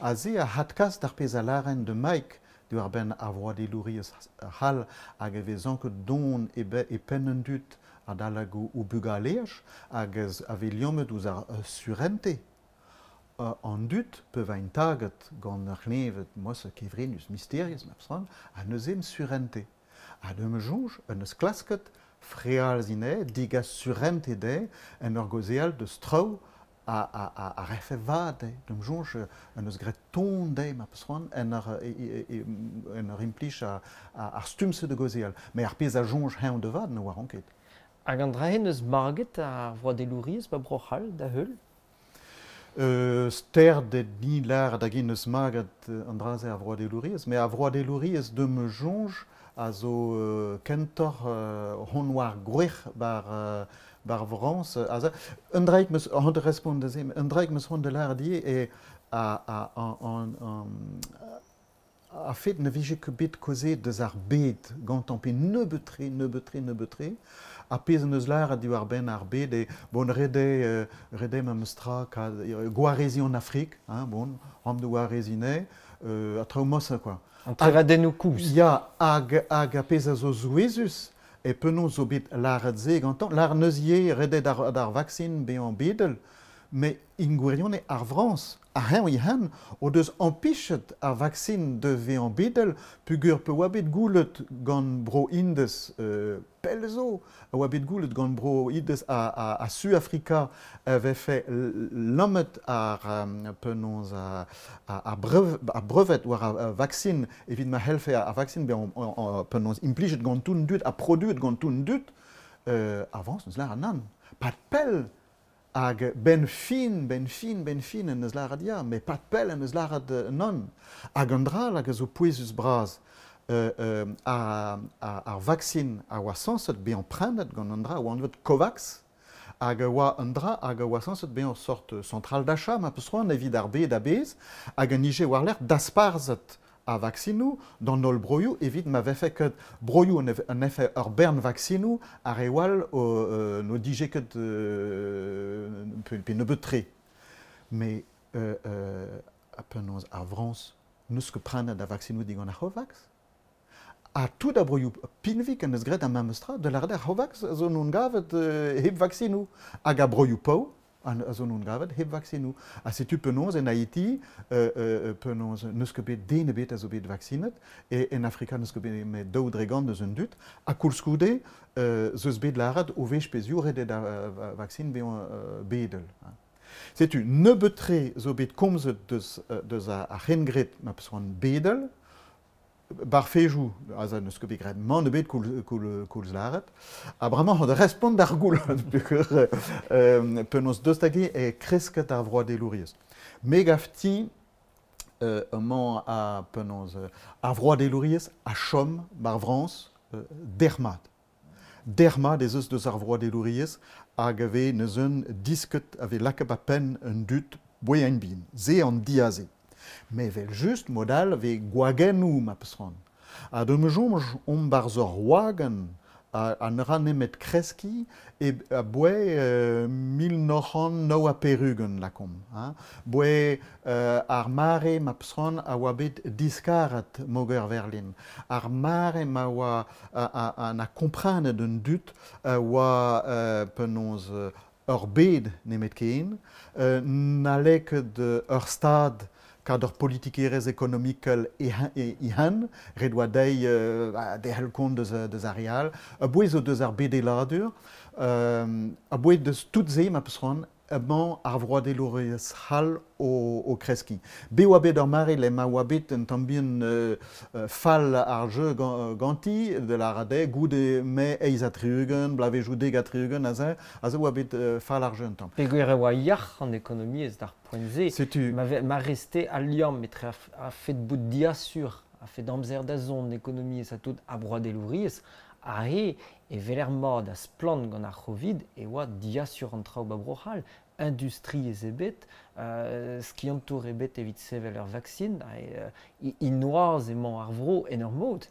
Ha se a hadkas d'ar pezh a lâren de Mike diwar benn ar vroadelouriezh c'hall hag e vez anket don e, be, e penn an dud adalek o, o bugaleaj hag ez a vez liammet ouzh ar uh, surente. Uh, an dud pe vaint taget gant ur c'hleñved mosse kevrinus mysterius ma peus c'hoant, ha neuze em surente. Ha de me soñj, en eus klasket frealziñ anezhe, degas surente dezhe, en ur gaozeal deus traoù a, a, a, a refe vad dezhe. D'am soñj, en eus graet ton dezhe, ma peus c'hoant, en ur, e, e, e, en ur implij a, a, ar stumm-se de gaozeal. Met ar pezh a soñj heñv de vat ne oaran ket. Hag an dra-se neus maget ar vroadelouriezh ba Bro-C'hall da heul? Euh, stert eo din lâret hag-eñ neus maget an dra-se ar vroadelouriezh, met ar vroadelouriezh de me soñj a zo euh, kentoc'h euh, hon war gwrac'h bar, euh, bar Frañs. A un draig meus c'hoant da respont da se, un draig meus c'hoant da lâret ivez e a, a, an, an, an, a fet ne vije ket bet kaozeet deus ar bed gantañ pe nebeut-tre, nebeut-tre, nebeut-tre, a pezh en deus lâret diwar benn ar bed e bon ret eo euh, ret eo memes tra kad gwareziñ an Afrik, hein, bon, ram de gwareziñ anezhe, euh, a traoù mosse quoi. An trevadennoù kozh. Ya, hag, hag a pezh a zo souezhus, e penaos zo bet lâret se gantañ, lâret neus ivez ret eo d'ar, d'ar vaksin bezañ bedel, met en gwirionez ar Frañs A heñ ihan o deus ampichet ar vaksin de vean bedel pugur pe oa bet goulet gant bro Indez euh, pelzo, a oa bet goulet gant bro Indez a, a, a Su-Afrika a vefe lammet ar um, penaos a, a, a, brev, a brevet war a, a vaksin evit ma helfe a, a vaksin be penaos implijet gant tout dud a produet gant tout dud euh, avance neus lar an nan. Pat pell hag ben fin, ben fin, ben fin en eus lâret ya, met pat pell en eus lâret non. Hag an dra hag a zo pouezus bras euh, euh, ar, ar, ar vaksin a oa sañset bezañ prenet gant an dra oa anvet COVAX, hag a oa an dra hag a oa sañset bezañ sort centrale d'achat ma peus c'hoant evit ar bed a-bezh hag an ije war-lerc'h dasparzhet a vaksinoù d'an holl broioù evit ma vefe ket broioù an efe ur bern vaksinoù ar re wall o, euh, no dije ket euh, pe, pe nebeut-tre. Mais euh, euh, a penaos ar Frañs n'eus ket prenet a vaksinoù digant ar COVAX. A tout a broioù pinvik an eus graet ar memes tra de lâret ar COVAX a zo non gavet euh, hep vaksinoù hag a broioù paour an a zo non gavet hep vaksinoù. A setu penaos en Haiti, euh, euh, penaos n'eus ket bet den ebet a zo bet vaksinet, e en Afrika n'eus ket bet met daou dregant eus un dud, ha koulskoude euh, zeus bet lâret o wech pezhioù ret eo da euh, vaksin bezañ euh, bedel. Hein. Setu nebeut-tre zo bet komzet deus, deus a, a c'hengred ma peus c'hoant bedel, bar fejou, aze n'eus ket bet graet mann ebet koulz, koulz, koulz lâret, ha bremañ hon respont d'ar goul, peogwir euh, penaos deus hag e kresket ar vroadelouriezh. Me gav ti euh, emañ a penaos ar vroadelouriezh a chom bar Frañs euh, dermat. Dermat ez eus deus ar vroadelouriezh hag a vez neus un disket a vez lakaet a-penn un dud boeañ bin, se an diaze. Mais vel just modal ve gwagennoù ma peus c'hoant. Ha d'am soñj omp barzh ur wagenn a, a ne ra nemet kreskiñ e a boe euh, mil nav c'hant nav ha pevar-ugent lakomp. Hein. Boe euh, ar mare ma peus c'hoant a oa bet diskaret moger Berlin. Ar mare ma oa a, a, a na komprenet un dud a oa euh, penaos ur bed nemet ken, euh, n'halle ket ur stad kad ur politikerezh ekonomikel ihan, ret oa dezhi euh, derc'hel kont deus, deus ar real, a bouez zo deus ar bedeladur, euh, a bouez deus tout se ma peus c'hoant, emañ ar vroadelouriezh c'hall o, o kreskiñ. Be oa bet ur mare le ma oa bet un tamm bihan euh, fall ar jeu ganti, de la rade, goude me eizh ha tri-ugent, blavezhioù dek ha tri-ugent, aze, aze oa bet euh, fall ar jeu un tamm. Peogwir e oa yac'h an ekonomiezh d'ar poent-se. Setu. Ma, ma reste al liamm etre a, a fet bout diasur, a fet amzer da zont ekonomiezh ha tout ar vroadelouriezh, a he e veler mat a splann gant ar Covid e oa diasur an traoù ba Bro-C'hall, industriezh ebet, euh, skiantour ebet evit sevel ur vaksin, euh, inoaz emañ ar vro en ur mod.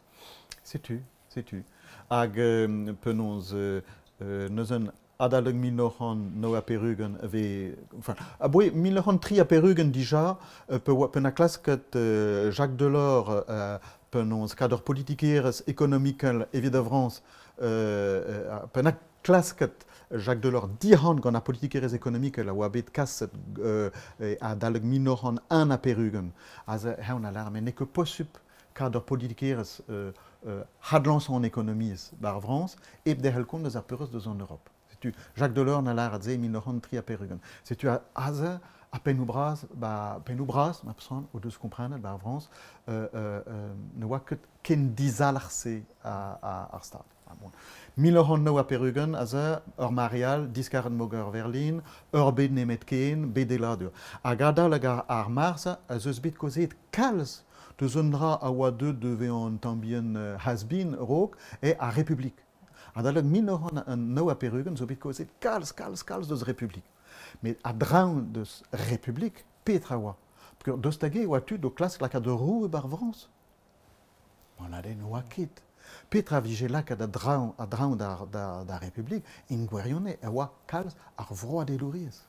Setu, setu. Hag euh, penaos euh, euh, neus un adalek mil nav c'hant nav ha pevar-ugent ave, enfin, a boe mil nav c'hant tri ha pevar-ugent dija, euh, pe oa, pe na klasket euh, Jacques Delors euh, penaos kad ur politikerezh ekonomikel evit a Frañs, euh, euh, pe na klasket Jacques Delors dihan gant ar politikerezh ekonomikel a oa bet kaset euh, adalek mil nav c'hant un ha pevar-ugent. Aze heñ a lar, met n'eo ket posupl kad ur politikerezh euh, euh, hadlañsañ an ekonomiezh bar Frañs hep derc'hel kont deus ar peurrest deus an Europe. Setu Jacques Delors na lâret se mil nav c'hant tri ha pevar-ugent. Setu aze a pennoù bras, ba pennoù bras, ma peus c'hoant, o deus komprenet bar Frañs, euh, euh, ne oa ket ken dizalc'h-se a, a, ar stad. Ah, bon. mil nav c'hant nav ha pevar-ugent, aze, ur marial, diskaret moger Berlin, ur bed nemet ken, bedeladur. Hag adal hag ar, ar marz, a zeus bet kaozeet kalz deus un dra a oa deut de vezañ un tamm bihan euh, has-been raok, e ar Republik. Adalek mil nav c'hant nav ha pevar-ugent zo bet kaozeet kalz, kalz, kalz deus Republik. Met a-dreñv deus Republik, petra oa. Peogwir deus hag e oa tud o klask lakaat ur roue bar Frañs. An aden oa ket. Petra vije lakaat a-dreñv, a-dreñv d'ar, d'ar, d'ar Republik, en gwirionez e oa kalz ar vroadelouriezh.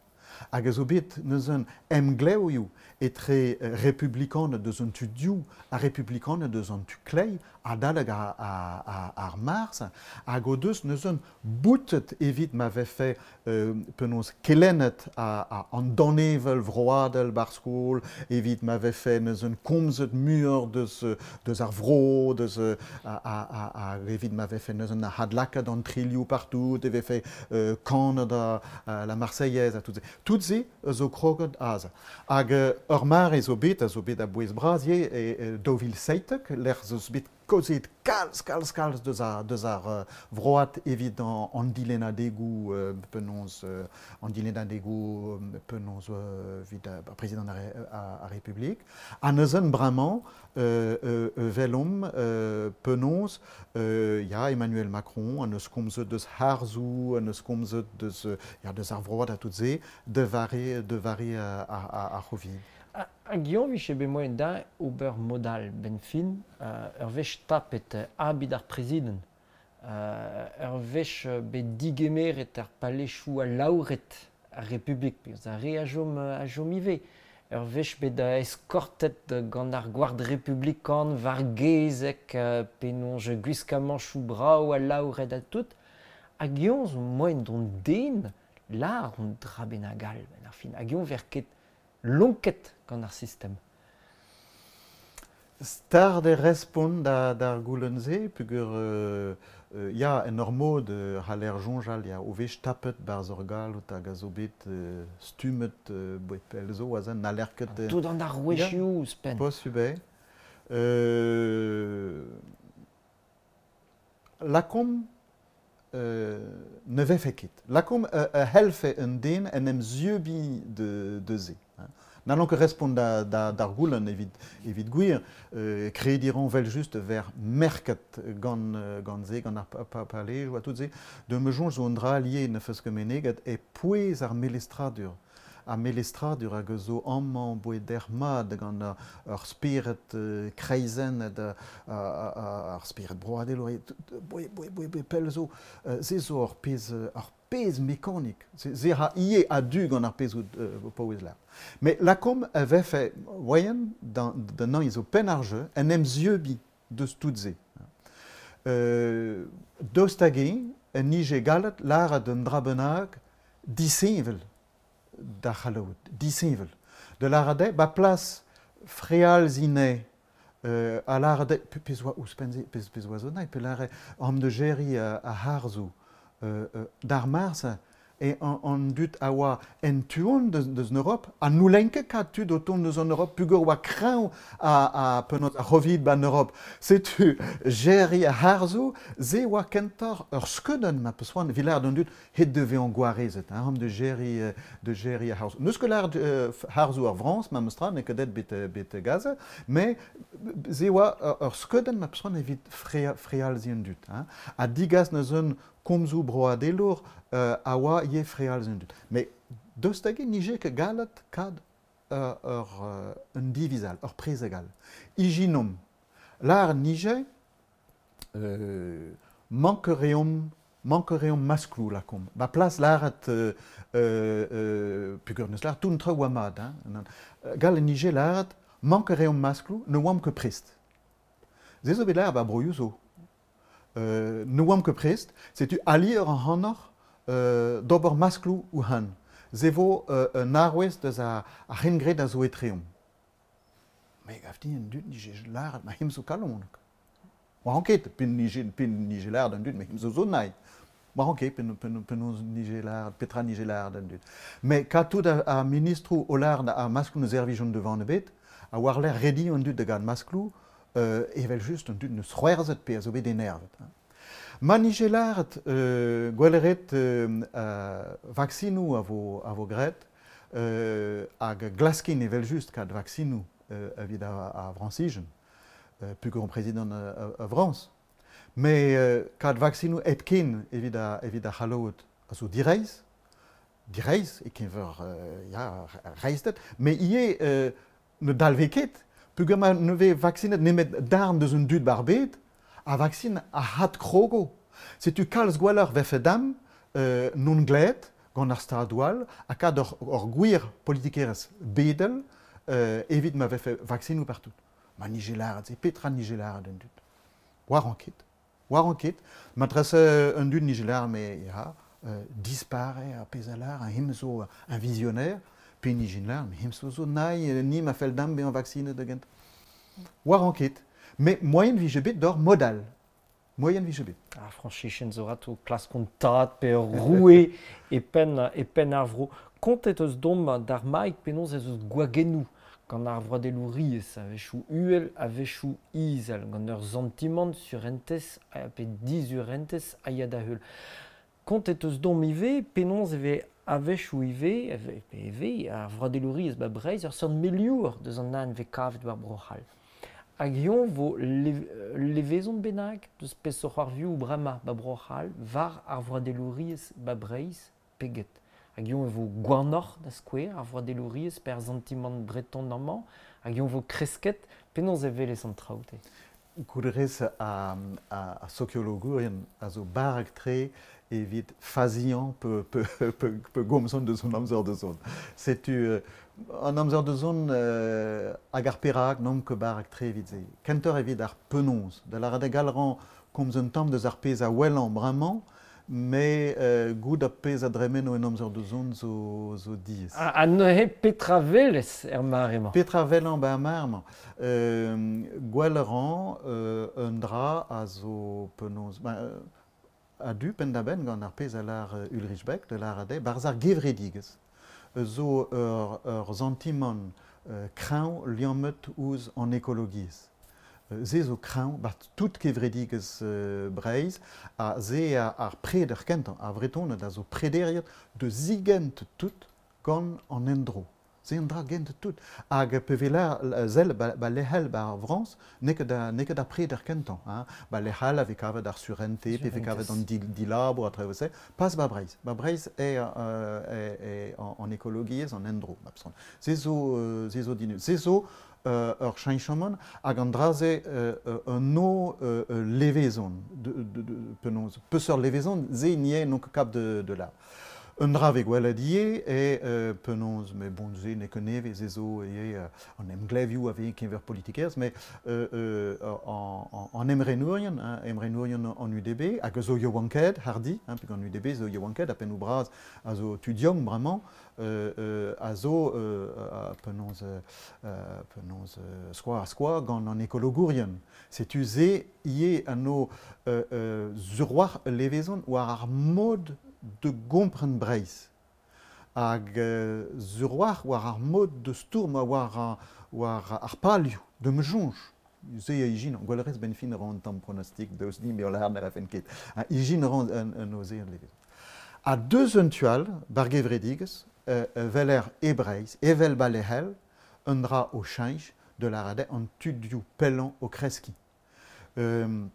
Hag a zo bet neuzen emglevioù etre republikaned deus an tu diou ha republikaned deus an tu klei adalek ar, ar, ar, ar marz hag o deus neuzen boutet evit ma vefe euh, penaos kelennet a, a, an danevel vroadel bar skol, evit ma vefe neuzen komzet muioc'h deus, deus ar vro, deus, a, a, a, a, evit ma vefe neuzen a hadlakat an trilioù partout, e vefe euh, kanet a, a la Marseillaise a tout se. Tout se zo kroget aze. Hag ur mare zo bet, a zo bet a bouez bras ivez, e, e daou vil seitek, lec'h zo bet kaozeet kalz, kalz, kalz deus ar, deus ar uh, vroad evit an, an dilennadegoù euh, penaos, euh, an dilennadegoù penaos euh, evit ar prezidant ar, ar, ar Republik. Ha neuzen bremañ euh, euh, velomp euh, penaos euh, ya Emmanuel Macron an eus komzet deus harzoù, an eus komzet deus, ya, deus ar vroad a tout se, de vare, de vare ar, ar, ar Covid. Hag Guillaume vije bet moaien da ober modal ben fin, uh, ur wech tapet abid ar prezident, uh, ur wech bet digemeret ar palechou a laouret ar Republik, peus ar re a jom, a jom ivez, ur wech bet eskortet gant ar gward republikan war gezek, uh, penonj gwiskamanchou brao a laouret a tout, hag Guillaume zo moaien d'on den lar on dra bennak all ben ar fin, hag Guillaume ver ket lonket gant ar sistem. Stard e respont da, d'ar goulenn-se, peogwir euh, euh, ya en ur mod euh, c'haller soñjal ya o wech tapet barzh ur galloud hag a zo bet euh, stummet euh, boet pell zo azen n'haller ket... Euh, Tout an arouezioù ouzhpenn. Posubl eo. Euh, Lakomp euh, ne vefe ket. Lakomp euh, a helfe un den en em zeubi de, de se. N'allons ket respont da, da, d'ar goulenn evit, evit gwir, euh, krediñ ran vel just ver merket gant, gant se, gant ar pa, palej a tout se, de me soñj zo un dra lié ne feus ket meneget e pouez ar melestradur. Ar melestradur hag zo amañ boet der mat gant ar, ar spered euh, kreizennet, ar, ar spered broadel, boe, boe, boe, boe, pell zo, euh, se zo ar pezh, ar pezh mekanik. Se, se ra ivez a-du gant ar pezh euh, paouez lar. Mais lakomp a vefe voyen d'an an zo penn ar jeu en em zeubi deus tout se. Euh, daoust hag-eñ, en nije gallet lâret un dra bennak disheñvel da c'hallout, disheñvel. De lâret eo, ba plas frealzine euh, a lâret eo, pezh oa ouzhpenn-se, pezh, pezh oa zo naet, pe lâret am de jerry a, a harzoù euh, euh, d'ar marz e an, an dud a oa en tuon deus, deus an Europe, ha n'houlenn ket kat tud o tont deus an Europe, pugur oa kreñv a, a penaos ar Covid ban Europe. Setu jerry a harzoù, se oa kentoc'h ur skeudenn ma peus c'hoant, evit lâret d'an dud het devez an gwarezet, hein, am de jerry, de jerry a harzoù. N'eus ket lâret euh, harzoù ar Frañs, ma meus tra, n'eo ket det bet, bet Gaza, mais se oa ur skeudenn ma peus c'hoant evit frea, frealziñ an dud. Hein. Ha digas neuzen komzoù broadelour euh, a oa ivez frealziñ an dud. Mais daoust hag-eñ nije ket gallet kad euh, ur, euh, un diviz all, ur prezeg all. Ijinomp, lâret nije, euh, mankereomp, mankereomp maskloù lakomp. Ba plas lâret, euh, euh, peogwir neus lâret tout an traoù oa mat, hein. Gallet nije lâret, mankereomp maskloù, ne oamp ket prest. Se zo bet lâret ba broioù zo. Euh, ne oamp ket prest, setu alier an c'hanoc'h euh, d'ober maskloù ou han. Se vo euh, un arouez deus ar, ar c'hengred a zo etreomp. Me gav din an dud nije lâret ma him zo kalonek. Oa ran ket, pen nije, pen nije lâret an dud, me him zo zo naet. Oa ran ket, pen, pen, penaos nije lâret, petra nije lâret an dud. Mais ka tout ar, ar ministroù o lâret ar maskloù ne servijont devant ebet, a war l'air redi an dud da gant maskloù, euh, evel just an dud neus c'hwerzhet pe a zo bet enervet. Hein. Ma nije lâret euh, gwelleret euh, euh, vaksinoù a vo, a vo graet, euh, hag glaskin evel just kad vaksinoù euh, evit ar, ar Frañsijen, euh, peogwir on prezidant a, a, a Frañs. Mais euh, kad vaksinoù hepken evit ar, evit ar c'hallout a zo direizh, direizh e keñver euh, ya, reizhted, mais ivez euh, ne dalve ket, peogwir ma ne vez vaksinet nemet darn deus un dud bar bed, a vaksin a had krogo. Setu kalz gwelloc'h vefe dam, euh, non gled, gant ar stadoual, ha kad ur, ur gwir politikerez bedel euh, evit ma vefe vaksinoù partout. Ma nije lâret se, petra nije lâret un dud. War an ket. War an ket. Ma trese un dud nije lâret, me ya, euh, dispare a pezh a lâr, un him zo un visionnaire, pe nije lâret, me him zo zo naï, ni ma fell dam bezañ vaksinet da gent. War an ket. Mais moyen vije bet d'or modal. Moyen vije bet. Ah, Franchichen zo rato klaskont tad pe ur roue e penn, e penn ar vro. Kontet eus dom d'ar maik penaos ez eus gwagennoù gant ar vroadelouriezh a-wechoù uhel, a-wechoù izel, gant ur santimant surentez pe dizurentez a ya da heul. Kontet eus dom ivez penaos e vez a-wechoù ivez, pe ivez, ar vroadelouriezh ba Breizh ur seurt meliour deus an an vez kavet war Bro-C'hall. Hag hiziv vo levezon bennak deus peseurt c'hoarvioù bremañ ba Bro-C'hall war ar vroadelouriezh ba Breizh pe get. Hag hiziv e vo gwanoc'h da skouer ar vroadelouriezh per santimant breton amañ, hag hiziv vo kresket penaos e welez an traoù te. Goudrez a, a, a sokiologourien a zo barrek-tre evit faziañ pe, pe, pe, pe gomzon deus an amzer da zont. Setu euh, an amzer da zont euh, hag ar perak n'omp ket barrek-tre evit se. Kentoc'h evit ar penaos. Da lâret eo gall komz un tamm deus ar pezh a wellañ bremañ, mais euh, goût ar pezh a dremeno en amzer da zont zo, zo diaes. Ha, ha neuze petra welez er mare-mañ? Petra wellañ ba ar mare-mañ. Euh, gwell a ran euh, un dra a zo penaos... Ba, euh, a du penn-da-benn gant ar pezh a lâr Ulrich Beck, de lâret eo, barzh ar gevredigezh. Zo ur, ur santimant euh, kreñv liammet ouzh an ekologiezh. Se zo kreñv, bat tout kevredigezh euh, Breizh, ha se a, ar preder kentañ, ar Vretoned a zo prederiet de zigent tout gant an endro. Se an dra gent tout. Hag pe vela zel ba, ba lehel ba ar Frañs, n'eo ket da, n'eo ket ar preder kentañ. Hein. Ba lehel a vez kavet ar surente, pe vez kavet an dil, dilabour a traoù se. Pas ba Breizh. Ba Breizh eo euh, e, e, an, an ekologiezh, an endro. Ba Se zo, euh, se zo dinu. Se zo euh, ur cheñchamant hag an dra-se euh, un o euh, levezon, de, de, de, penaos, peseurt levezon, se n'y eo n'on ket kap de, de la. Un dra vez gwelet ivez e euh, penaos, mais bon, se n'eo ket nevez, se zo ivez euh, an emglevioù a vez keñver politikerezh, mais euh, euh, an, an, an emrenourien, hein, emrenourien an U D B, hag a zo yaouankaet, hardi, hein, peg an U D B zo yaouankaet, a pennoù bras a zo tudiong bremañ, euh, euh, a zo euh, a, penaos, euh, penaos euh, skoa a skoa gant an ekologourien. Setu se ivez an o euh, euh, zurroar levezon war ar mod de gompren Breizh. Hag euh, zurroar war ar mod de stourm war ar, war ar palioù de me soñj. Se a ijin, gwellerez ben fin ran tamm pronostik deus ni, me lâr ne rafen ket. A ijin ran un, un oze an levezon. A deus un tual, bar gevredigezh, euh, veler e Breizh, evel ba lehel, un dra o cheñch de la rade an tudioù pellañ o kreskiñ. Euh,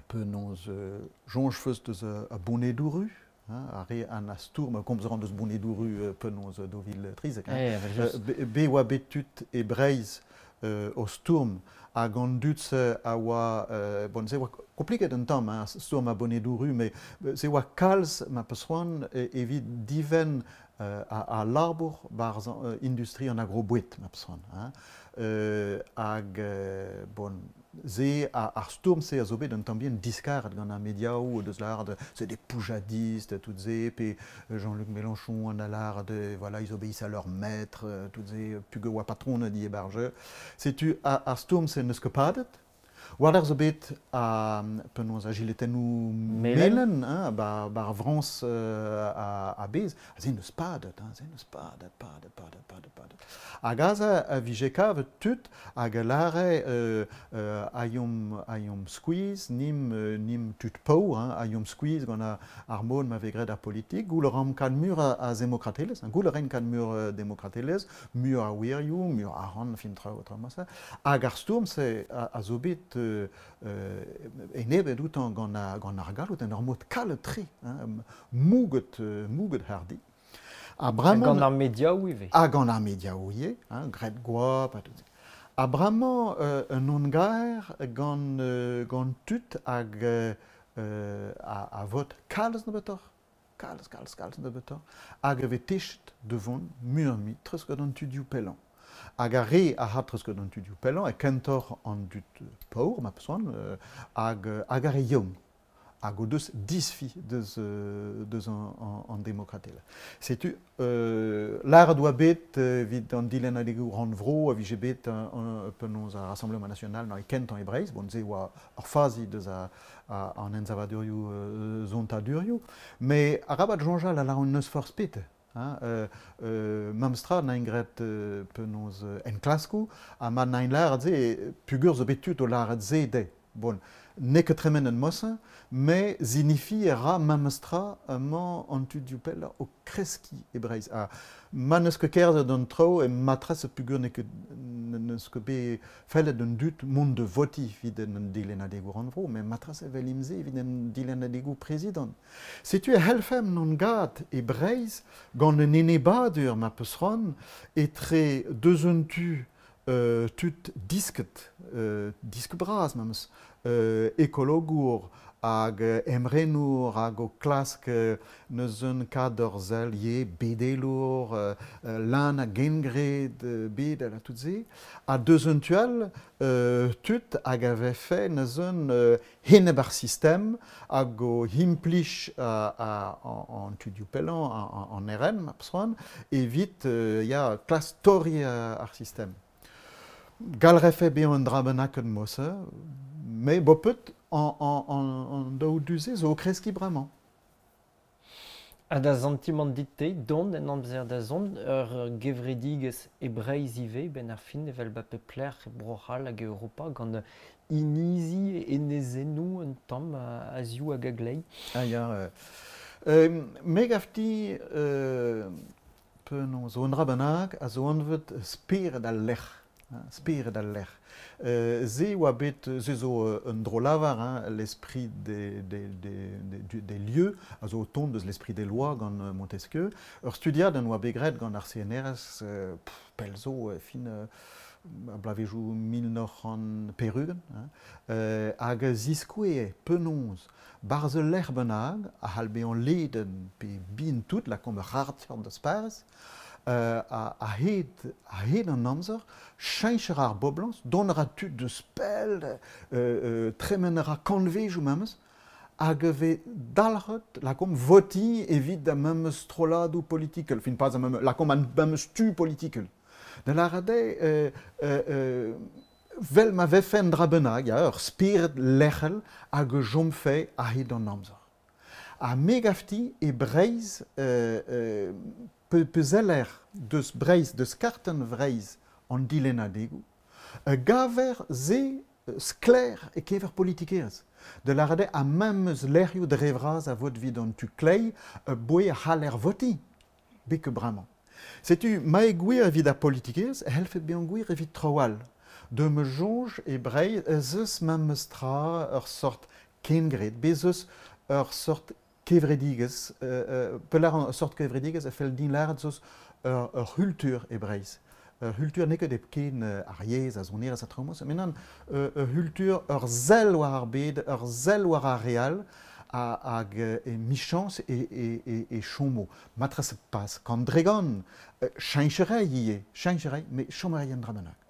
penaos euh, soñj feus deus a, a bonedoù-ru, hein, ar re an a stourm, komz ran deus bonedoù-ru euh, penaos daou vil trizek. Hein. Eh, evel just. Euh, be, be oa bet tud e Breizh euh, o stourm hag an dud-se a oa, euh, bon, se oa kompliket un tamm, hein, stourm a bonedoù-ru, mais se oa kalz ma peus c'hoant evit divenn euh, a, a labour barzh euh, industrie an agroboued, ma peus c'hoant. Hein. Euh, hag, euh, bon, se a, ar stourm-se a zo bet un tamm bihan diskaret gant ar mediaoù deus lâret, c'est des poujadistes, tout se, pe Jean-Luc Mélenchon an a lâret, voilà, ils obéissent à leur maître, tout se, pug oa patron a di e barje. Setu a, ar stourm-se n'eus ket padet. War ar zo bet a penaos a giletennoù Melen. melen, hein, ba, ba ar Frañs euh, a, a bez, a se n'eus padet, hein, se n'eus padet, padet, padet, padet, padet. Hag aze a vije kavet tud hag a lâre euh, euh, a yom, a yom skuizh, nim, euh, nim tud paour, hein, a yom skuizh gant ar, ar mod ma vez graet ar politik, goul a ran kad mur a, a zemokratelezh, hein, goul a ran kad mur euh, demokratelezh, mur a wirioù, mur a ran, fin traoù, traoù ma se. Hag ar stourm se a, a zo bet euh, euh, enebet outañ gant ar, gant ar galloud en ur mod kalet-tre, hein, mouget, euh, mouget hardi. Ha bremañ Gant ar mediaoù ivez. Ha gant ar mediaoù ivez, hein, graet goap ha tout se. Ha bremañ euh, un ongaer gant, euh, gant tud hag euh, a, a vot kalz nebeutoc'h. kalz, kalz, kalz nebeutoc'h, hag e vez techet da vont muioc'h-mui treuz gant an tudioù pellañ. Hag ar re a ra treuz gant an tudioù pellañ e kentoc'h an dud paour, ma peus c'hoant, hag, hag ar re yaouank. Hag o deus disfi deus, deus an, an, an demokratel. Setu, euh, lâret oa bet evit an dilennadegoù rannvro a vije bet un, penaos ar Rassemblement National na e kentañ e Breizh, bon, se oa ur fazi deus a, a, an ensavadurioù euh, zontadurioù, mais arabat soñjal a lâront n'eus forzh pet. Hein, euh, euh, memestra na graet euh, penaos enklaskoù, ha ma na lâret se, pugur zo bet tud o lâret se dezhe. Bon, n'eo ket tremen en mosañ, mais zinifi e ra memestra emañ an tudioù pellañ o kreskiñ e Breizh. Ha ma n'eus ket kerzhet an traoù e matres pugur n'eo ket n'eus ket bet fellet an dud mont da votiñ evit an dilennadegoù rannvro, met matres evel imse evit an dilennadegoù prezidant. Setu e c'hellfemp n'on gad e Breizh gant un enebadur ma peus c'hoant etre deus un tu euh, tud disket, euh, disk bras memes, euh, ekologour hag emrenour hag o klask neus un kad ur sell ye bedelour, euh, lan a gengred bedel ha tout se, ha deus un tu all euh, tud hag a vefe neus un euh, heneb ar sistem hag o implij a, a, an, an tudioù pellañ an, an R N, ma peus c'hoant, evit euh, ya klas torri ar sistem. Gal refe bezañ un dra bennak en mosse, mais bopet an, an, an, an daou du-se zo o kreskiñ bremañ. Ha da santimant dit-te, dont en amzer da zont, ur gevredigezh e Breizh ivez, ben ar fin evel ba pep lec'h e Bro-C'hall hag e Europa, gant inizi e enezennoù un tamm a ziv hag a glei. Ah ya, euh, euh, me gafti euh, penaos zo un dra bennak a zo anvet spered al lec'h. Spered al lec'h. Euh, se oa bet, se zo un dro-lavar, hein, l'esprit des, des, des, des, des lieux, a zo o tont deus l'esprit des lois gant Montesquieu. Ur studiad an oa bet graet gant ar C N R S, euh, pff, pell zo, fin, euh, a blavejoù mil nav c'hant pevar-ugent, hein, euh, hag a ziskouez penaos barzh ul lec'h bennak, a c'hall bezañ ledenn pe bin tout, lakaomp ur c'harter da Paris, Euh, a, a hed, a hed an amzer, cheñcher ar boblañs, dont ra tud deus pell, euh, euh, tremen ra kanvejoù memes, hag e vez dalc'het lakaomp votiñ evit da memes strolladoù politikel, fin pas a memes, lakaomp an memes tu politikel. Da lâret eo, euh, euh, euh, vel ma vefen dra bennak, ya, ur spered lec'hel hag e chomfe a hed an amzer. Ha me gafti e Breizh, euh, euh, pe, pezeller deus Breizh, deus kartenn Vreizh an dilennadegoù, gaver se skler e kever politikerezh. De lâret eo a memes lec'hioù dre vras a vot vid an tu klei, boe a c'haller votiñ, beke bremañ. Setu ma e gwir evit ar politikerezh, e c'hellfe bezañ gwir evit traoù all. De me soñj e Breizh ez eus memes tra ur sort kengred, bez eus ur sort kevredigezh, euh, pelar an sort kevredigezh a fell din lâret zo ur, ur c'hultur e Breizh. Ur c'hultur n'eo ket hepken ar yezh, a sonerezh ha traoù moz, met nann, ur c'hultur, ur sell war ar bed, ur sell war ar re all, hag e michañs e, e, e, e chomo. Matres pas kant dregant, cheñcherei ivez, cheñcherei, met chomerei an dra bennak.